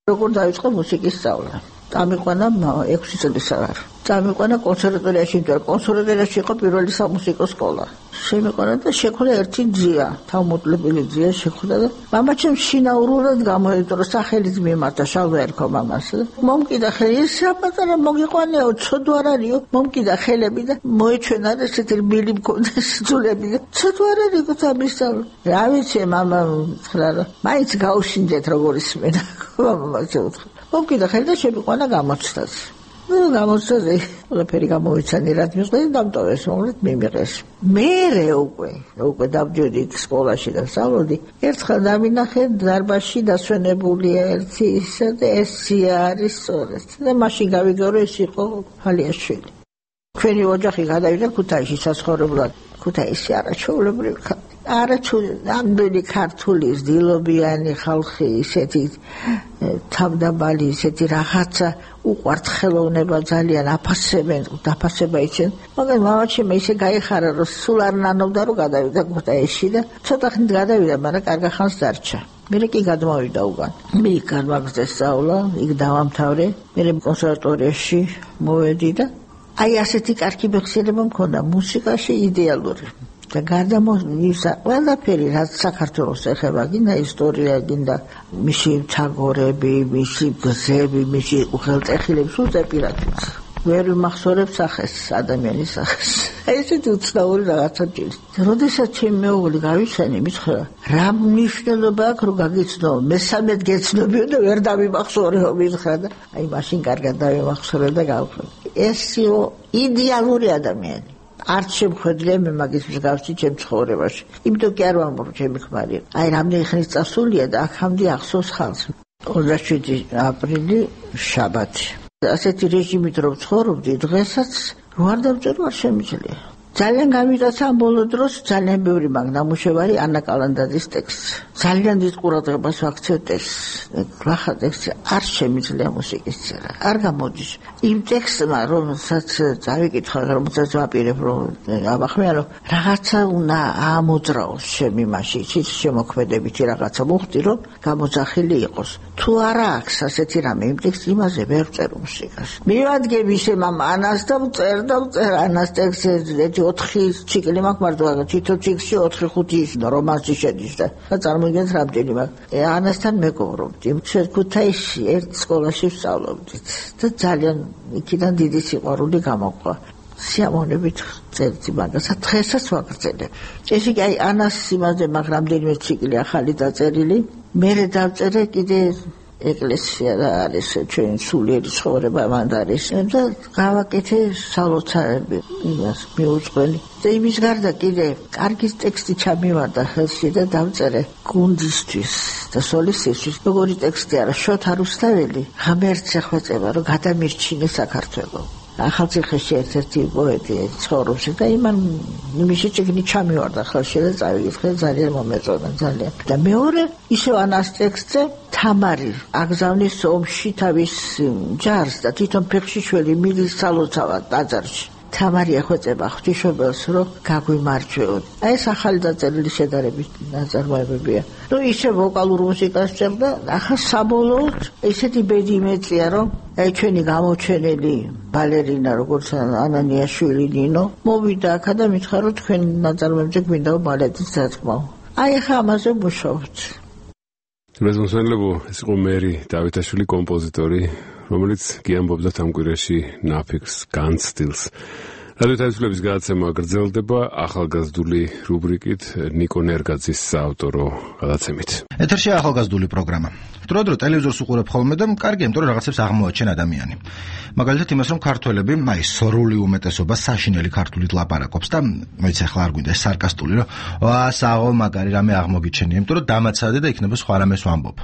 როგორ დავიწყე მუსიკის სწავლა წამიყვანა 6 წლის აღარ წამიყვანა კონსერვატორიაში და კონსერვატორიაში იყო პირველი სამუსიკო სკოლა შემიყვანა და შეხვდა ერთი ძია თავმოკლებული ძია შეხვდა და მამაჩემ შინაურულად გამოიწვია სახელით მიმართა შალვა ერქო მამას მომკიდა ხელი საპატარა მოგიყვანეო ცოდო არ არისო მომკიდა ხელები და მოეჩვენა და ესეთი რბილი მქონდა სძულები და ცოდო არ არისო თამისთავ რა ვიცი მამა ხრა მაინც გაუშინდეთ როგორ ისმენა მამა შეუთხა მომკიდა ხელი და შემიყვანა გამოცდაზე გამოცდაზე ყველაფერი გამოვიცანი რაც მიყვეს დამტოვეს მომლეთ მიმიღეს მე უკვე დავდიოდი სკოლაში და სწავლობდი ერთხელ დავინახე დარბაზში დასვენებულია ერთი ისე და ეს არის სწორედ და მაშინ გავიგე რომ ეს იყო ფალიაშვილი ჩვენი ოჯახი გადავიდა ქუთაისში საცხოვრებლად ქუთაისი არაჩვეულებრივი ამდენი ქართული ძილობიანი ხალხი ისეთი თავდაბალი ისეთი რაღაცა უყვართ ხელოვნება ძალიან აფასებენ დაფასება იცენ მაგრამ მამაჩემ ისე გაიხარა რომ სულ არ ნანობდა რომ გადავიდა ქუთაისში და ცოტა ხნით გადავიდა მაგრამ კარგა ხანს დარჩა მე კი გადმოვიდა უგან მე გამაგზავნე სწავლა იქ დავამთავრე მე კონსერვატორიაში მოვედი და აი ასეთი კარგი მეხსიერება მქონდა მუსიკაში იდეალური და გადამოსვლა ყველაფერი რაც საქართველოს ეხება გინდა ისტორია გინდა მისი თაგორები მისი გზები მისი უხელტეხილებს უზეპირატიც ვერ მახსოვებ სახეს ადამიანის სახეს აი ესეთი უცნაური რაღაცა ჭირს როდესაც ჩემი მეუღლე გავიცანი მითხრა რა მნიშვნელობა აქვს რომ გაგიცნო მესამედ გეცნობიო და ვერ დავიმახსოვრეო მითხრა და აი მაშინ კარგად დავიმახსოვრე და გავხსნე ეს იყო იდეალური ადამიანი არც შემხედრია მე მაგის მსგავსი ჩემ ცხოვრებაში. იმიტომ კი არ ვამბობ ჩემი ქმარი. აი რამდენი ხნის წასულია და აქამდე ახსოვს ხალხს. 27 აპრილი შაბათი. ასეთი რეჟიმით რომ ცხოვრობდი დღესაც რო არ დავწერო არ შემიძლია. ძალიან გამიტაცა ამ ბოლო დროს ძალიან ბევრი მაგნამუშევარი ანა კალანდაძის ტექსტი. ძალიან დიდ ყურადღებას ვაქცევ ტექსტს. ახლა ტექსტი არ შემიძლია მუსიკის წერა. არ გამოდის. იმ ტექსტმა რომელსაც წავიკითხა, რომელსაც ვაპირებ რომ აბახმიანო, რაღაცა უნდა ამოძრაოს შემი მასში, ის შემოქმედებითი რაღაცა მოხდი რომ გამოძახილი იყოს. თუ არა აქვს ასეთი რამე იმ ტექსტს იმაზე ვერ წერ მუსიკას. მივადგები ისე მამ ანას და წერ ანას ტექსტს 4 ციკლი მაქვს მარტო თითო ციკლში 4-5 რომანსი შედის და წარმოიდგინეთ რამდენი მაქვს. ანასთან მეგობრობდი. ქუთაისში ერთ სკოლაში ვსწავლობდით და ძალიან იქიდან დიდი სიყვარული გამოყვა. სიამოვნებით წერდი მაგას, დღესაც ვაგრძელებ. ესე იგი აი ანას იმაზე მაქვს რამდენიმე ციკლი ახალი დაწერილი. მე დავწერე კიდე ეკლესია და არის ჩვენ სულიერი ცხოვრება მანდ არის და გავაკეთე სალოცავები იმას მიუძღვენი და იმის გარდა კიდე კარგი ტექსტი ჩამივარდა ხელში და დავწერე გუნდისთვის და სოლისტისთვის როგორი ტექსტი არა შოთა რუსთაველი ღამერთს ეხვეწება რომ გადამირჩინე საქართველო ახალციხეში ერთ-ერთი პოეტი ცხოვრობს და იმან იმისი წიგნი ჩამივარდა ხელში და წავიკითხე ძალიან მომეწონა ძალიან და მეორე ისევ ანას ტექსტზე თამარი აგზავნის ომში თავის ჯარს და თვითონ ფეხშიშველი მილის სალოცავად ტაძარში თამარი ეხვეწება ღვთისმშობელს რომ გაგვიმარჯვეოთ აი ეს ახალი დაწერილი შედარებით ნაწარმოებებია ну ისე ვოკალურ მუსიკას წერდა ახლა საბოლოოდ ესეთი ბედი იმეწია რომ აი ჩვენი გამოჩენილი ბალერინა როგორც ანანიაშვილი ნინო მოვიდა აქ და მითხრა რომ თქვენ ნაწარმოებებზე გვინდა ბალეტის დათქმაო აი ახლა ამაზე მუშაობთ მეზონსენლებო ეს იყო მერი დავითაშვილი კომპოზიტორი რომელიც გიამბობდა ამ კვირაში ნაფიქს განცდილს რადიო თავისუფლების გადაცემა გრძელდება ახალგაზრდული რუბრიკით ნიკო ნერგაძის საავტორო გადაცემით ეთერში ახალგაზრდული პროგრამა დროდადრო ტელევიზორს უყურებ ხოლმე და კარგია იმიტომ რომ რაღაცებს აღმოაჩენ ადამიანი მაგალითად იმას რომ ქართველები აი სრული უმეტესობა საშინელი ქართულით ლაპარაკობს და მეც ახლა არ გვინდა სარკასტული რომ საღო მაგარი რამე აღმოგიჩენია იმიტომ რომ დამაცადე და იქნება სხვა რამეს ვამბობ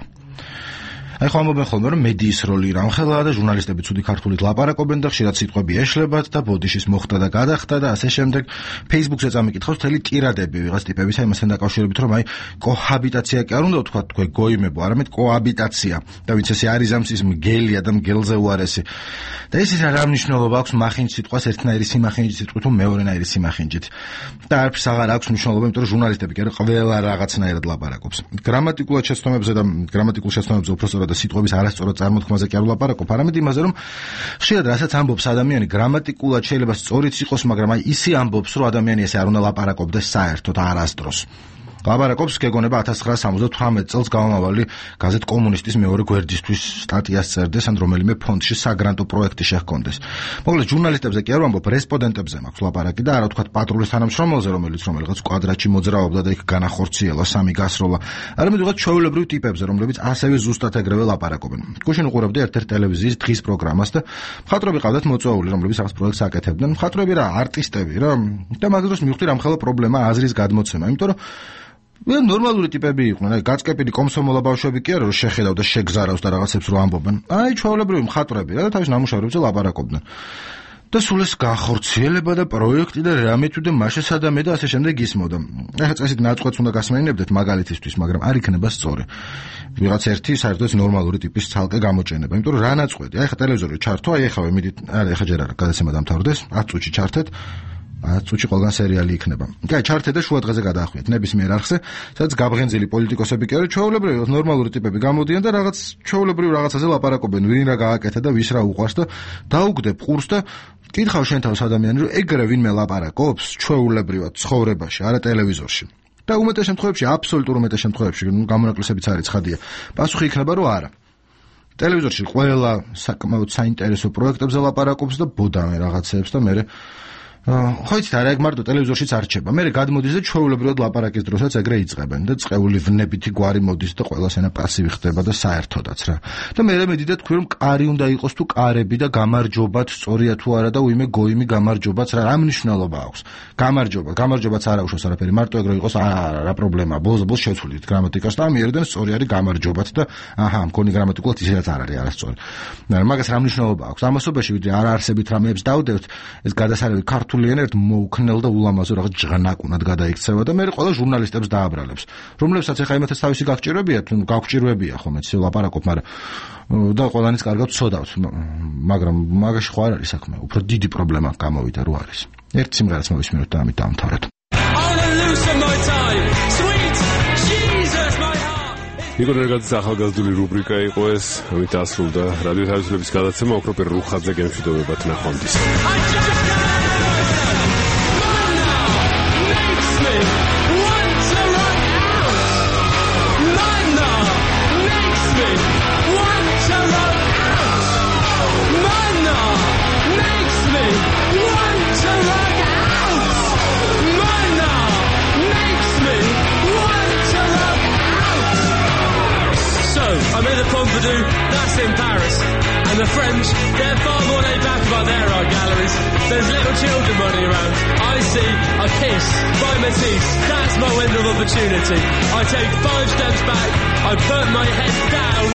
აი ხო ამბობენ ხოლმე რომ მედიის როლი რამხელაა და ჟურნალისტები ცუდი ქართულით ლაპარაკობენ და ხშირად სიტყვები ეშლებათ და ბოდიშის მოხდა და გადახდა და ასე შემდეგ Facebook-ზე წამიკითხავს მთელი ტირადები ვიღაც ტიპებისა იმასთან დაკავშირებით რომ აი კოჰაბიტაცია კი არ უნდა თქვა თქვენ გოიმებო არამედ კოაბიტაცია და ვინც ესე არის ამის ის მგელია და მგელზე უარესი და ეს რა მნიშვნელობა აქვს მახინჯ სიტყვას ერთნაირი სიმახინჯით სიტყვით თუ მეორენაირი სიმახინჯით და არც აღარ აქვს მნიშვნელობა იმიტომ რომ ჟურნალისტები კი არა ყველა რაღაცნაირად ლაპარაკობს გრამატიკულად შეცდომებზე და გრამატიკულ შეცდომებზე უბრალოდ და სიტყვების არასწორად წარმოთქმაზე კი არ ვლაპარაკობ, არამედ იმაზე, რომ ხშირად რასაც ამბობს ადამიანი გრამატიკულად შეიძლება სწორიც იყოს, მაგრამ აი ისე ამბობს, რომ ადამიანი ესე არ უნდა ლაპარაკობდეს საერთოდ არასდროს. ლაპარაკობს გეგონება 1978 წელს გამომავალი გაზეთ კომუნისტის მეორე გვერდისთვის სტატიას წერდეს ან რომელიმე ფონდში საგრანტო პროექტი შეჰქონდეს. მოკლედ ჟურნალისტებზე კი არ ვამბობ, რესპონდენტებზე მაქვს ლაპარაკი და არა თქვა პატრულის თანამშრომელზე, რომელიც კვადრატში მოძრაობდა და იქ განახორციელა სამი გასროლა, არამედ ვიღაც ჩვეულებრივ ტიპებზე, რომლებიც ასევე ზუსტად ეგრევე ლაპარაკობენ. გუშინ უყურებდი ერთ-ერთ ტელევიზიის დღის პროგრამას და მხატვრები ყავდათ მოწვეული, რომლებიც რაღაც პროექტს აკეთებდნენ. მხატვრები რა, არტისტები რა და მაგ დროს მივხვდი რამხელა პრობლემა აზრის გადმოცემა, იმიტომ რომ ნორმალური ტიპები იყვნენ, აი გაწკეპილი კომსომოლა ბავშვები კი არა რომ შეხედავ და შეგზარავს და რაღაცებს რო ამბობენ. აი ჩვეულებრივი მხატვრები რა და თავის ნამუშევრებზე ლაპარაკობდნენ. და სულ ეს განხორციელება და პროექტი და რამე თუ და მაშესადამე და ასე შემდეგ ისმოდა. ახლა წესით ნაწყვეტს უნდა გასმენინებდეთ მაგალითისთვის, მაგრამ არ იქნება სწორი. ვიღაც ერთი საერთოდ ნორმალური ტიპის ცალკე გამოჩენება, იმიტომ რომ რა ნაწყვეტი, აი ხა ტელევიზორი ჩართო, აი ახლა მიდით, არა ახლა ჯერ არა, გადაცემა დამთავრდეს, 10 წუთში ჩართეთ. 10 წუთში ყველგან სერიალი იქნება. აი, ჩართე და შუა დღეზე გადაახვიეთ ნებისმიერ არხზე, სადაც გაბღენძილი პოლიტიკოსები კი არა, ჩვეულებრივი ნორმალური ტიპები გამოდიან და რაღაც ჩვეულებრივ რაღაცაზე ლაპარაკობენ, ვინ რა გააკეთა და ვის რა უყვარს და დაუგდებ ყურს და კითხავ შენ თავს ადამიანი, რომ ეგრე ვინმე ლაპარაკობს ჩვეულებრივად ცხოვრებაში, არა ტელევიზორში. და უმეტეს შემთხვევებში, აბსოლუტურ უმეტეს შემთხვევებში, გამონაკლისებიც არის ცხადია. პასუხი იქნება, რომ არა. ტელევიზორში ყველა საკმაოდ საინტერესო პროექტებზე ლაპარაკობს და ბოდამე რაღაცეებს და მე ხო იცით არა ეგ მარტო ტელევიზორშიც არ რჩება. მე გადმოდის და ჩვეულებრივად ლაპარაკის დროსაც ეგრე იწყებენ და წყეული ვნებითი გვარი მოდის და ყველას ენა პასივი ხდება და საერთოდაც რა. და მე მედიდა თქვი რომ კარი უნდა იყოს თუ კარები და გამარჯობათ სწორია თუ არა და უიმე გოიმი გამარჯობაც რა მნიშვნელობა აქვს. გამარჯობაც არ აუშავს არაფერი. მარტო ეგრე იყოს რა პრობლემაა. ბოლოს შევცვლით გრამატიკას და ამიერიდან სწორი არის გამარჯობათ და აჰა მქონი გრამატიკულად ისედაც არ არის არასწორი. მაგას რა მნიშვნელობა აქვს. ამასობაში ვიდრე არ არსებით რამეებს დავდევთ ეს გადასარევი ქართული ენა ერთ მოუქნელ და ულამაზო რაღაც ჟღნაკუნად გადაიქცევა და მე ყველა ჟურნალისტებს დააბრალებს, რომლებსაც ახლა იმათაც თავისი გაგვჭირვებია ხომ ეცი ლაპარაკობ, მაგრამ და ყველანიც კარგად ვცოდავთ, მაგრამ მაგაში ხო არ არის საქმე, უფრო დიდი პრობლემა გამოვიდა რო არის. ერთ სიმღერას მოვისმინოთ და ამით დავამთავროთ. ნიკო ნერგაძის ახალგაზრდული რუბრიკა იყო ეს, ამით ასრულდა რადიო თავისუფლების გადაცემა ოქროპერ რუხაძე გემშვიდობებად ნახვამდის. I'm in the Pompidou, that's in Paris. And the French, they're far more laid back about their art galleries. There's little children running around. I see a kiss by Matisse. That's my window of opportunity. I take 5 steps back, I put my head down.